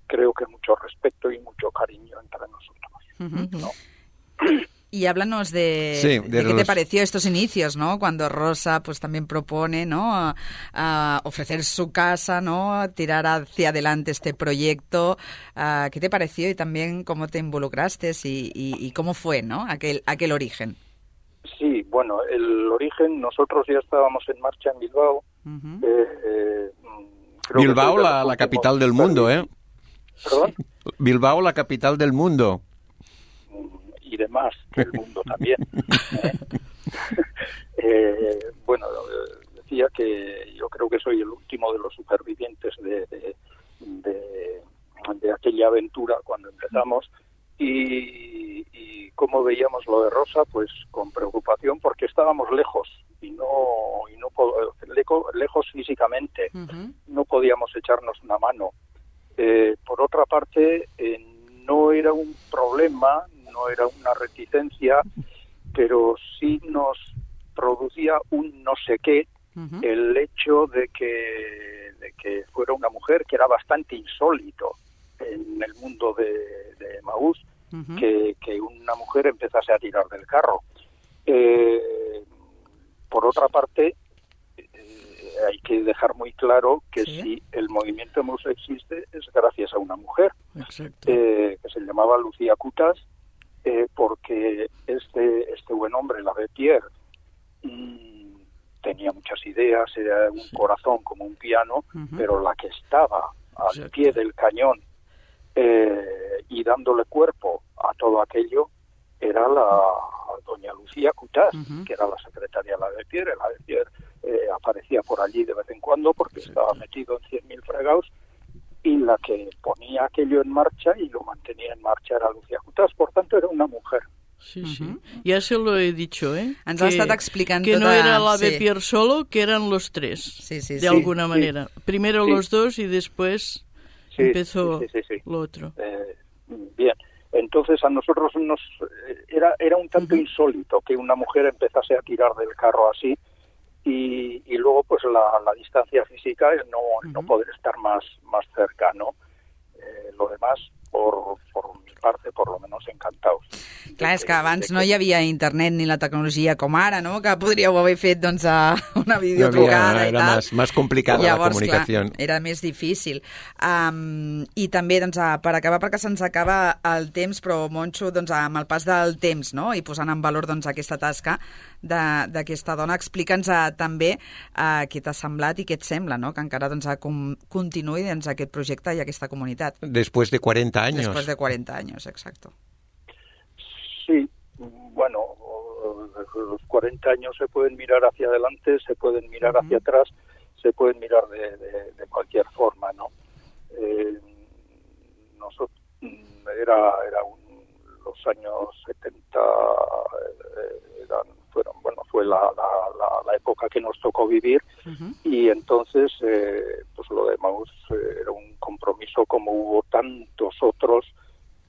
creo que mucho respeto y mucho cariño entre nosotros. Uh-huh. ¿No? Y háblanos de, sí, de, de los... qué te pareció estos inicios, ¿no? Cuando Rosa pues también propone, ¿no? A, a ofrecer su casa, ¿no? A tirar hacia adelante este proyecto. Uh, ¿Qué te pareció y también cómo te involucraste y, y, y cómo fue, ¿no? Aquel, aquel origen. Sí, bueno, el origen, nosotros ya estábamos en marcha en Bilbao. Uh-huh. eh, eh, Bilbao, la, la capital del mundo, ¿eh? ¿Perdón? Bilbao, la capital del mundo. Y demás, del mundo también. ¿eh? eh, bueno, decía que yo creo que soy el último de los supervivientes de, de, de, de aquella aventura cuando empezamos y, y cómo veíamos lo de Rosa, pues con preocupación porque estábamos lejos y no, y no lejos físicamente, uh-huh. no podíamos echarnos una mano. Eh, por otra parte, eh, no era un problema, no era una reticencia, pero sí nos producía un no sé qué uh-huh. el hecho de que, de que fuera una mujer, que era bastante insólito en el mundo de, de Emaús, uh-huh. que, que una mujer empezase a tirar del carro. Eh, por otra parte, eh, hay que dejar muy claro que ¿sí? si el movimiento Emaús existe es gracias a una mujer, eh, que se llamaba Lucía Cutas, Eh, porque este este buen hombre, Lavetier, mmm, tenía muchas ideas, era un sí. corazón como un piano, uh-huh. pero la que estaba al Exacto. pie del cañón eh, y dándole cuerpo a todo aquello era la doña Lucía Cutas, uh-huh. que era la secretaria de Lavetier. Lavetier eh, aparecía por allí de vez en cuando porque sí. estaba metido en cien mil fregados, y la que ponía aquello en marcha y lo mantenía en marcha era Lucía Cutas, por tanto era una mujer. Sí, sí. Uh-huh. Ya se lo he dicho, ¿eh? Ens que, ha estat explicant que tota... no era la de sí. Pierre solo, que eran los tres, sí, sí, de sí. alguna sí, manera. Sí. Primero sí. los dos y después sí, empezó sí, sí, sí, sí. lo otro. Eh, bien, entonces a nosotros nos era, era un tanto uh-huh. insólito que una mujer empezase a tirar del carro así. Y, y luego pues la, la distancia física es no, uh-huh. no poder estar más, más cerca, ¿no? Eh, lo demás, por, por mi parte, por lo menos encantados. Clar, és que abans no hi havia internet ni la tecnologia com ara, no? Que podríeu haver fet doncs, una videotrucada no havia, i era tal. Más, más complicada Llavors, la comunicació. Clar, era més difícil. Um, I també, doncs, per acabar, perquè se'ns acaba el temps, però, Moncho, doncs, amb el pas del temps, no?, i posant en valor doncs, aquesta tasca d'aquesta dona, explica'ns uh, també uh, què t'ha semblat i què et sembla, no?, que encara doncs, com, continuï doncs, aquest projecte i aquesta comunitat. Después de cuarenta años. Después de cuarenta años, exacto. Sí, bueno, los cuarenta años se pueden mirar hacia adelante, se pueden mirar uh-huh. hacia atrás, se pueden mirar de, de, de cualquier forma, ¿no? Eh, nosotros, era, era un, los años setenta, eh, eran, fueron, bueno, fue la, la, la, la época que nos tocó vivir uh-huh. y entonces, eh, pues lo de Emaús eh, era un compromiso como hubo tantos otros,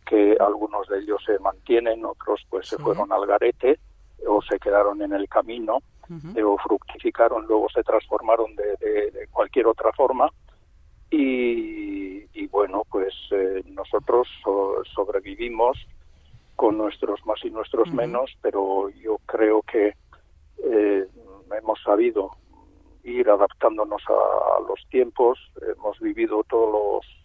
que algunos de ellos se mantienen, otros pues sí. se fueron al garete o se quedaron en el camino uh-huh. eh, o fructificaron, luego se transformaron de, de, de cualquier otra forma y, y bueno, pues eh, nosotros so, sobrevivimos con nuestros más y nuestros uh-huh. menos, pero yo creo que eh, hemos sabido ir adaptándonos a, a los tiempos, hemos vivido todos los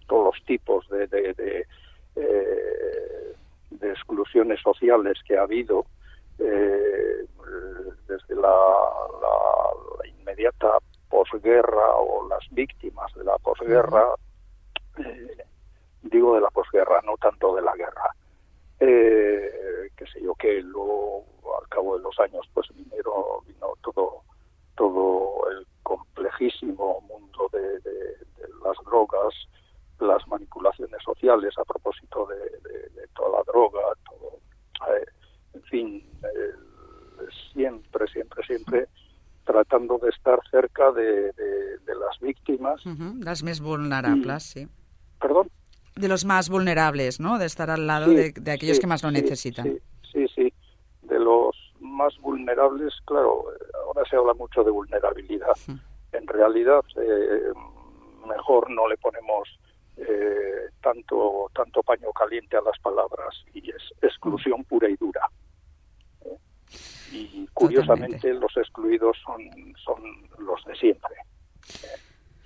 todos los tipos de, de, de, eh, de exclusiones sociales que ha habido, eh, desde la, la, la inmediata posguerra o las víctimas de la posguerra, eh, digo de la posguerra, no tanto de la guerra, eh, que sé yo, que luego al cabo de los años pues vinieron, vino todo, todo el complejísimo mundo de, de, de las drogas, las manipulaciones sociales a propósito de, de, de toda la droga, todo, eh, en fin, eh, siempre, siempre, siempre tratando de estar cerca de, de, de las víctimas. Uh-huh. Las más vulnerables, y, sí. ¿Perdón? De los más vulnerables, ¿no? De estar al lado sí, de, de aquellos sí, que más lo sí, necesitan. Sí, sí, sí. De los más vulnerables, claro, ahora se habla mucho de vulnerabilidad. Uh-huh. En realidad, eh, mejor no le ponemos eh, tanto, tanto paño caliente a las palabras, y es exclusión pura y dura. ¿Eh? Y curiosamente Totalmente. Los excluidos son, son los de siempre. ¿Eh?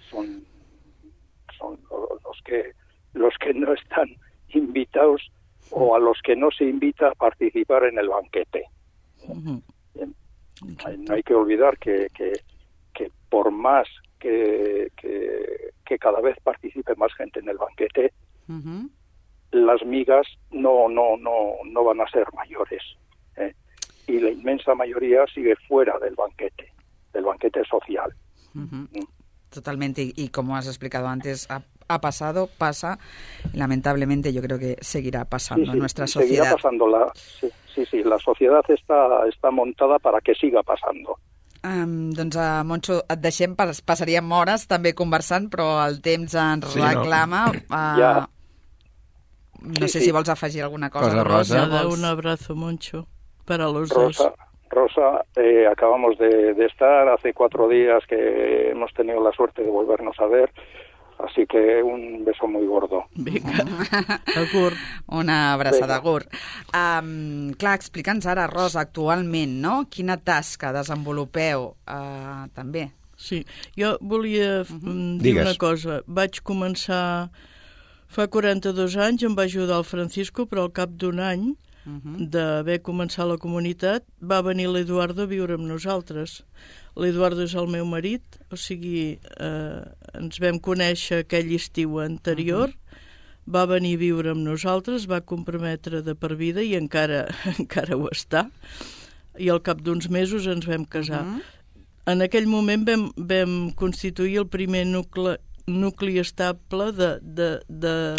Son, son los que los que no están invitados o a los que no se invita a participar en el banquete. Uh-huh. No hay que olvidar que, que, que por más que, que, que cada vez participe más gente en el banquete, uh-huh. las migas no, no, no, no van a ser mayores. ¿eh? Y la inmensa mayoría sigue fuera del banquete, del banquete social. Uh-huh. ¿Mm? Totalmente, y, y como has explicado antes, ha, ha pasado, pasa, lamentablemente yo creo que seguirá pasando sí, sí, en nuestra sociedad. Seguirá pasando, la, sí, sí, sí, la sociedad está, está montada para que siga pasando. Um, doncs, uh, Moncho, et deixem, passaríem hores també conversant, però el temps ens sí, reclama. No, uh, ja. no sí, sé sí. si vols afegir alguna cosa. cosa Rosa. Rosa. Un abrazo, Moncho, para los Rosa. dos. Rosa, eh, acabamos de, de estar hace cuatro días que hemos tenido la suerte de volvernos a ver, así que un beso muy gordo. Vinga, agur. Una abraçada, agur. Um, clar, explica'ns ara, Rosa, actualment, no? Quina tasca desenvolupeu uh, també? Sí, jo volia uh-huh. dir Digues. una cosa. Vaig començar fa quaranta-dos anys, em va ajudar el Francisco, però al cap d'un any Uh-huh. d'haver començat la comunitat, va venir l'Eduardo a viure amb nosaltres. L'Eduardo és el meu marit, o sigui, eh, ens vam conèixer aquell estiu anterior, uh-huh. va venir a viure amb nosaltres, va comprometre de per vida i encara, encara ho està. I al cap d'uns mesos ens vam casar. Uh-huh. En aquell moment vam, vam constituir el primer nucle nucli estable de, de, de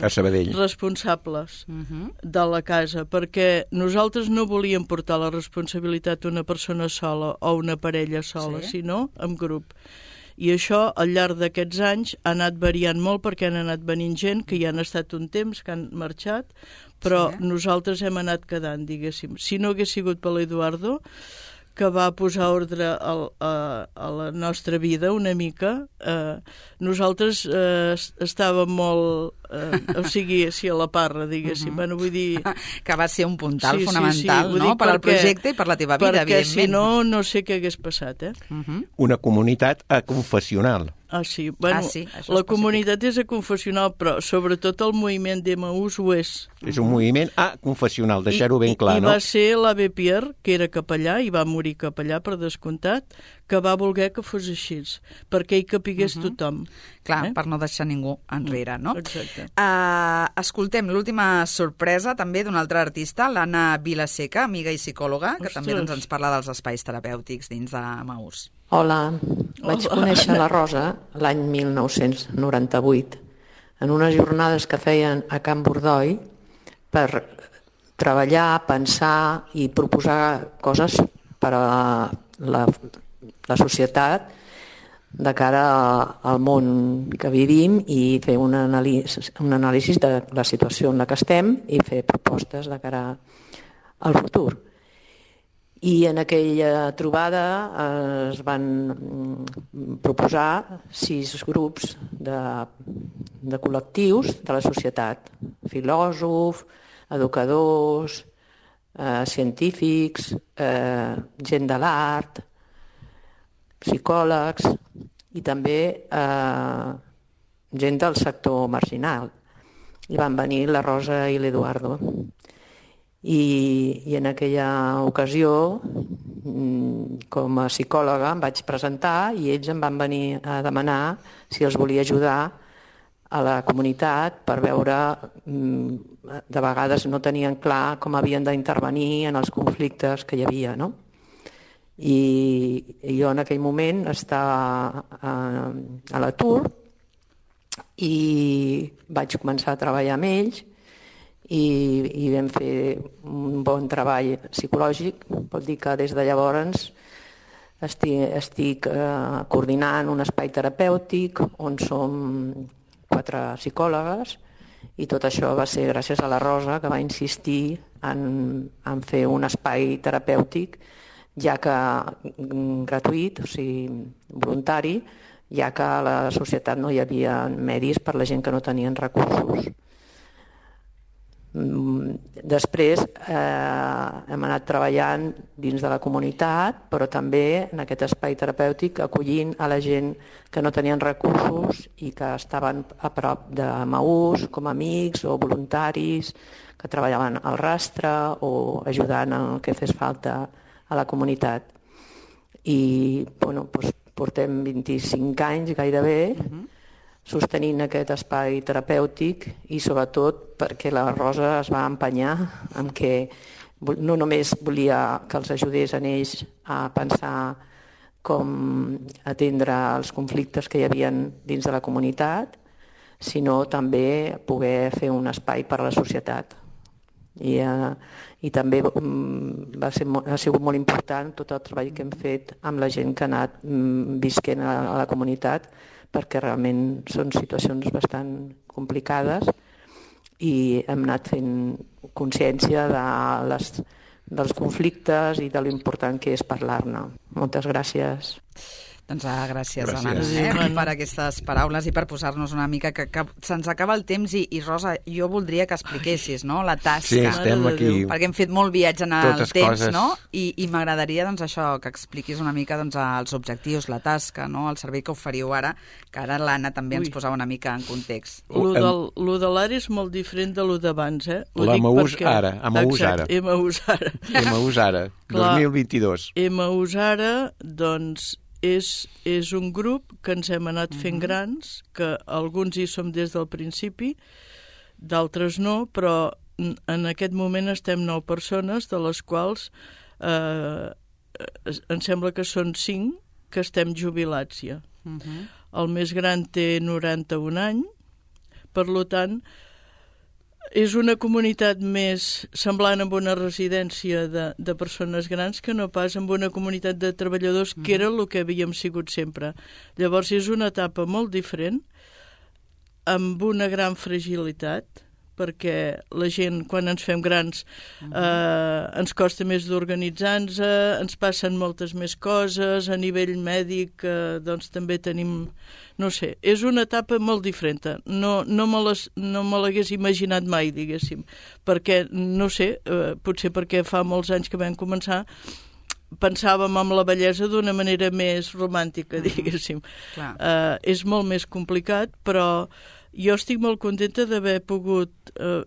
responsables uh-huh. de la casa, perquè nosaltres no volíem portar la responsabilitat una persona sola o una parella sola, sí. sinó en grup. I això, al llarg d'aquests anys, ha anat variant molt perquè han anat venint gent que ja han estat un temps, que han marxat, però sí. nosaltres hem anat quedant, diguéssim. Si no hagués sigut per l'Eduardo, que va posar ordre a, a, a la nostra vida una mica, eh, nosaltres eh, estàvem molt, eh, o sigui, sí, a la parra, diguéssim. Uh-huh. Bueno, vull dir... Que va ser un puntal sí, fonamental, sí, sí. no?, per al projecte i per la teva vida, perquè, evidentment. Perquè si no, no sé què hagués passat, eh? Uh-huh. Una comunitat aconfessional. Ah, sí. Bueno, ah, sí, la comunitat és aconfessional, però sobretot el moviment d'Emaús ho és. És un moviment aconfessional, deixar-ho ben clar, I, no? I va ser l'Abe Pierre, que era capellà, i va morir capellà per descomptat, que va voler que fos així, perquè hi capigués uh-huh. tothom. Clar, eh? per no deixar ningú enrere, no? Exacte. Uh, escoltem l'última sorpresa també d'un altre artista, l'Anna Vilaseca, amiga i psicòloga, que Ostres. també doncs, ens parla dels espais terapèutics dins d'Emaús. Hola, vaig Hola. conèixer la Rosa l'any mil nou-cents noranta-vuit en unes jornades que feien a Can Bordoi per treballar, pensar i proposar coses per a la, la societat de cara al món que vivim i fer un anàlisi, un anàlisi de la situació en la que estem i fer propostes de cara al futur. I en aquella trobada es van proposar sis grups de, de col·lectius de la societat. Filòsofs, educadors, eh, científics, eh, gent de l'art, psicòlegs i també eh, gent del sector marginal. I van venir la Rosa i l'Eduardo. I, i en aquella ocasió, com a psicòloga, em vaig presentar i ells em van venir a demanar si els volia ajudar a la comunitat per veure, de vegades no tenien clar com havien d'intervenir en els conflictes que hi havia, no? I jo en aquell moment estava a, a l'atur i vaig començar a treballar amb ells i, i vam fer un bon treball psicològic. Vol dir que des de llavors estic, estic eh, coordinant un espai terapèutic on som quatre psicòlogues i tot això va ser gràcies a la Rosa, que va insistir en, en fer un espai terapèutic, ja que gratuït, o sigui, voluntari, ja que a la societat no hi havia medis per la gent que no tenien recursos. Després eh, hem anat treballant dins de la comunitat, però també en aquest espai terapèutic acollint a la gent que no tenien recursos i que estaven a prop de Maús com a amics o voluntaris que treballaven al rastre o ajudant en el que fes falta a la comunitat. I bueno, doncs portem vint-i-cinc anys gairebé uh-huh. sostenint aquest espai terapèutic i sobretot perquè la Rosa es va empenyar en què no només volia que els ajudés en ells a pensar com atendre els conflictes que hi havia dins de la comunitat, sinó també poder fer un espai per a la societat. I, eh, i també va ser, ha sigut molt important tot el treball que hem fet amb la gent que ha anat visquent a, a la comunitat, perquè realment són situacions bastant complicades i hem anat fent consciència de les, dels conflictes i de l'important que és parlar-ne. Moltes gràcies. Doncs ah, gràcies, gràcies. Anna, eh, per aquestes paraules i per posar-nos una mica que, que se'ns acaba el temps i, i Rosa, jo voldria que expliquessis, no?, la tasca. Sí, estem aquí. Perquè hem fet molt viatge en el Totes temps, coses. no? I, i m'agradaria, doncs, això, que expliquis una mica doncs, els objectius, la tasca, no?, el servei que oferiu ara, que ara l'Anna també ens Ui. posava una mica en context. Lo, del, lo de l'ara és molt diferent de lo d'abans, eh? Ho La dic Maús perquè... ara, a Maús Exacte, ara. Maús ara. Maús ara, Clar. dos mil vint-i-dos. Maús ara, doncs, és, és un grup que ens hem anat fent uh-huh. grans, que alguns hi som des del principi, d'altres no, però en aquest moment estem nou persones, de les quals eh, em sembla que són cinc que estem jubilats ja. Uh-huh. El més gran té noranta-un anys, per tant, és una comunitat més semblant amb una residència de, de persones grans que no pas amb una comunitat de treballadors, que era el que havíem sigut sempre. Llavors és una etapa molt diferent, amb una gran fragilitat, perquè la gent, quan ens fem grans, eh, ens costa més d'organitzar-nos, ens passen moltes més coses, a nivell mèdic eh, doncs també tenim, no sé, és una etapa molt diferent. No, no me les, no me l'hagués imaginat mai, diguéssim, perquè, no sé, eh, potser perquè fa molts anys que vam començar, pensàvem en la bellesa d'una manera més romàntica, diguéssim. Clar. Eh, és molt més complicat, però jo estic molt contenta d'haver pogut eh,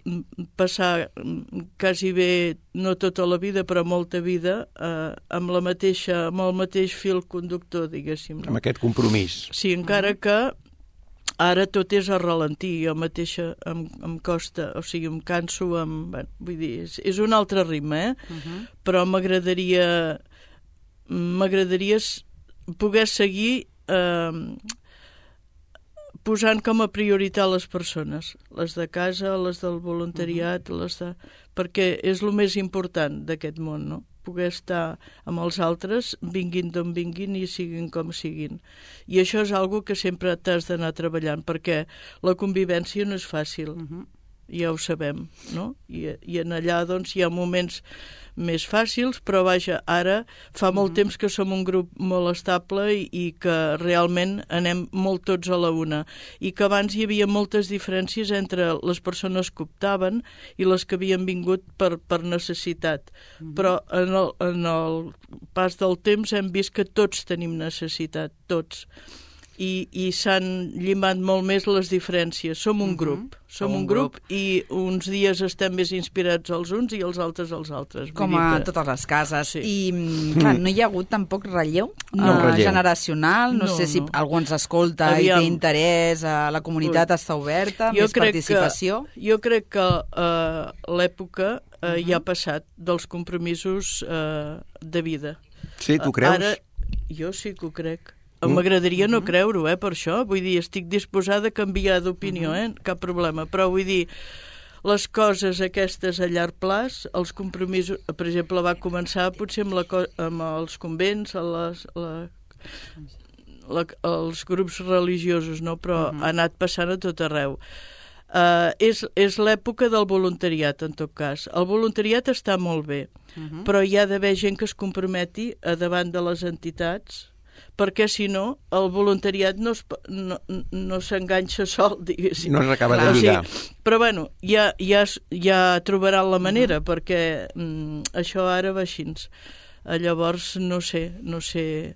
passar quasi bé, no tota la vida, però molta vida, eh, amb, la mateixa, amb el mateix fil conductor, diguéssim. No? Amb aquest compromís. Sí, encara que ara tot és a ralentir. Jo mateixa em, em costa, o sigui, em canso, em, bueno, vull dir, és, és un altre ritme, eh? Uh-huh. Però m'agradaria m'agradaria poder seguir eh, posant com a prioritat les persones, les de casa, les del voluntariat, uh-huh. les de... perquè és el més important d'aquest món, no? Poder estar amb els altres, vinguin d'on vinguin i siguin com siguin. I això és algo que sempre t'has d'anar treballant, perquè la convivència no és fàcil, uh-huh. ja ho sabem, no? I, i en allà doncs hi ha moments més fàcils, però vaja, ara fa molt mm-hmm. temps que som un grup molt estable i, i que realment anem molt tots a la una. I que abans hi havia moltes diferències entre les persones que optaven i les que havien vingut per, per necessitat. Mm-hmm. Però en el, en el pas del temps hem vist que tots tenim necessitat, tots. i, i s'han llimat molt més les diferències. Som un grup, uh -huh. som un, un grup, grup i uns dies estem més inspirats els uns i els altres els altres. Com a que... totes les cases. Sí. I, clar, no hi ha hagut tampoc relleu, no, uh, relleu. generacional? No, no sé no. si algú ens escolta Aviam. i té interès, uh, la comunitat Ui. està oberta, jo més participació? Que, jo crec que uh, l'època uh, uh -huh. ja ha passat dels compromisos uh, de vida. Sí, tu creus? Ara, jo sí que ho crec. M'agradaria no creure-ho, eh, per això. Vull dir, estic disposada a canviar d'opinió, eh? Cap problema. Però vull dir, les coses aquestes a llarg plaç, els compromisos... Per exemple, va començar potser amb, la, amb els convents, a les, la, la, els grups religiosos, no? Però uh-huh. ha anat passant a tot arreu. Uh, és és l'època del voluntariat, en tot cas. El voluntariat està molt bé, uh-huh. però hi ha d'haver gent que es comprometi a davant de les entitats, perquè si no, el voluntariat no, es, no, no s'enganxa sol, diguéssim. No s'acaba de lligar. O sigui, però bueno, ja, ja, ja trobaran la manera, uh-huh. perquè mm, això ara va així. Llavors, no sé, no sé...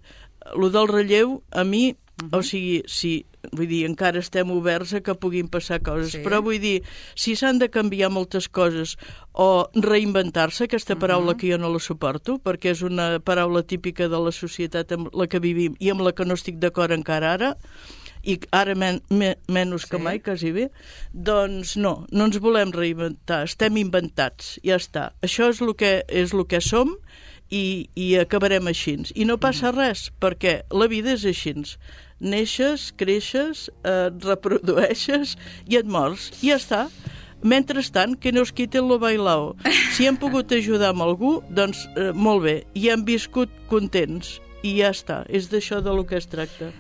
Lo del relleu, a mi, uh-huh. o sigui, sí, vull dir, encara estem oberts a que puguin passar coses, sí. però vull dir, si s'han de canviar moltes coses o reinventar-se, aquesta paraula uh-huh. que jo no la suporto, perquè és una paraula típica de la societat amb la que vivim i amb la que no estic d'acord encara ara, i ara men, men, menys sí. que mai, quasi bé, doncs no, no ens volem reinventar, estem inventats, ja està. Això és el que, és el que som, i, i acabarem així. I no passa res, perquè la vida és així. Neixes, creixes, et reprodueixes i et mors. I ja està. Mentrestant, que no es quiten lo bailao. Si hem pogut ajudar amb algú, doncs eh, molt bé. I hem viscut contents. I ja està. És d'això de lo que es tracta.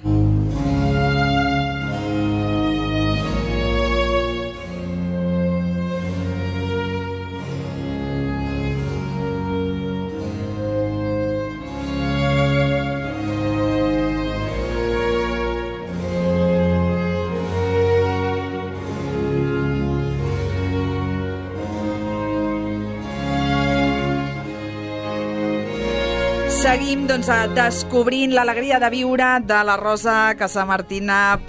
Seguim doncs, descobrint l'alegria de viure de la Rosa Casamartina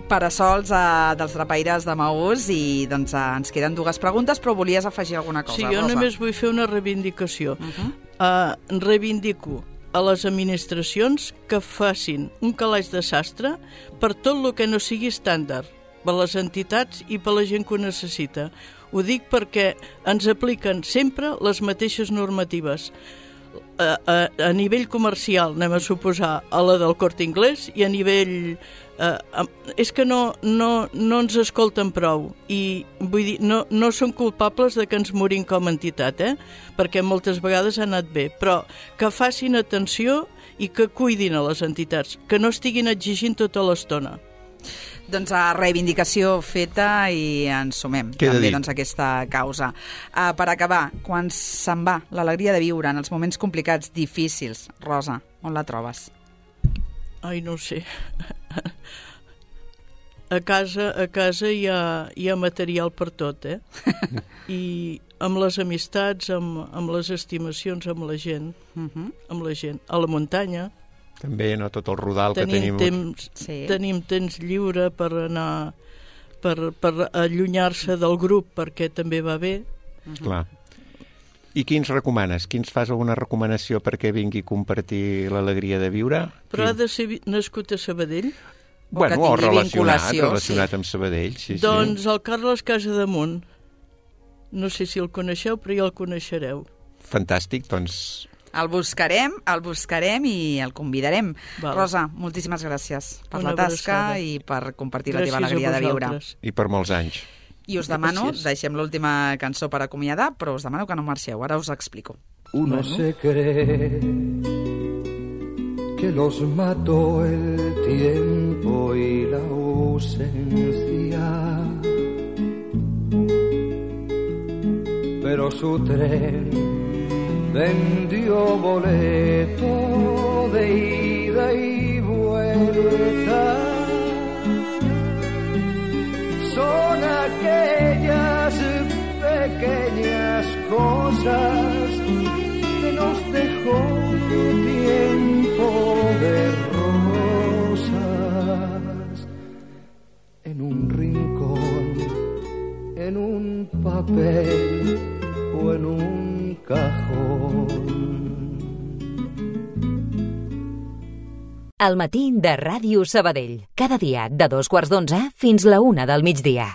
Parasols, eh, dels Drapaires de Maús, i doncs, eh, ens queden dues preguntes, però volies afegir alguna cosa, sí, jo Rosa? Només vull fer una reivindicació. Uh-huh. uh, reivindico a les administracions que facin un calaix de sastre per tot el que no sigui estàndard, per les entitats i per la gent que ho necessita. Ho dic perquè ens apliquen sempre les mateixes normatives. A, a, a nivell comercial, anem a suposar, a la del Corte Inglés, i a nivell... Eh, és que no, no, no ens escolten prou, i vull dir, no, no són culpables de que ens morim com a entitat, eh? Perquè moltes vegades ha anat bé, però que facin atenció i que cuidin a les entitats, que no estiguin exigint tota l'estona. Doncs a reivindicació feta, i ens sumem Queda també dit. doncs, a aquesta causa. Uh, per acabar, quan se'n va l'alegria de viure en els moments complicats, difícils, Rosa, on la trobes? Ai, no ho sé. A casa, a casa hi ha, hi ha material per tot, eh? I amb les amistats, amb, amb les estimacions, amb la gent, uh-huh. amb la gent. A la muntanya... També, no, tot el rodal tenim que tenim... Temps, sí. Tenim temps lliure per anar... per, per allunyar-se del grup, perquè també va bé. Uh-huh. Clar. I quins recomanes? Quins fas alguna recomanació perquè vingui a compartir l'alegria de viure? Però Quin... ha de ser nascut a Sabadell? O bueno, o relacionat, relacionat sí. amb Sabadell, sí, doncs sí. el Carles Casademunt. No sé si el coneixeu, però ja el coneixereu. Fantàstic, doncs... El buscarem, el buscarem i el convidarem. Val. Rosa, moltíssimes gràcies per Una la tasca abraçada. I per compartir gràcies la teva alegria de viure. I per molts anys. I us demano, gràcies. Deixem l'última cançó per acomiadar, però us demano que no marxeu, ara us explico. Uno bueno. se cree que los mató el tiempo y la ausencia, pero su tren vendió boleto de ida y vuelta. Son aquellas pequeñas cosas que nos dejó tiempo de rosas. papel o en un cajón. El matí de Ràdio Sabadell. Cada dia de dos quarts d'onze fins la una del migdia.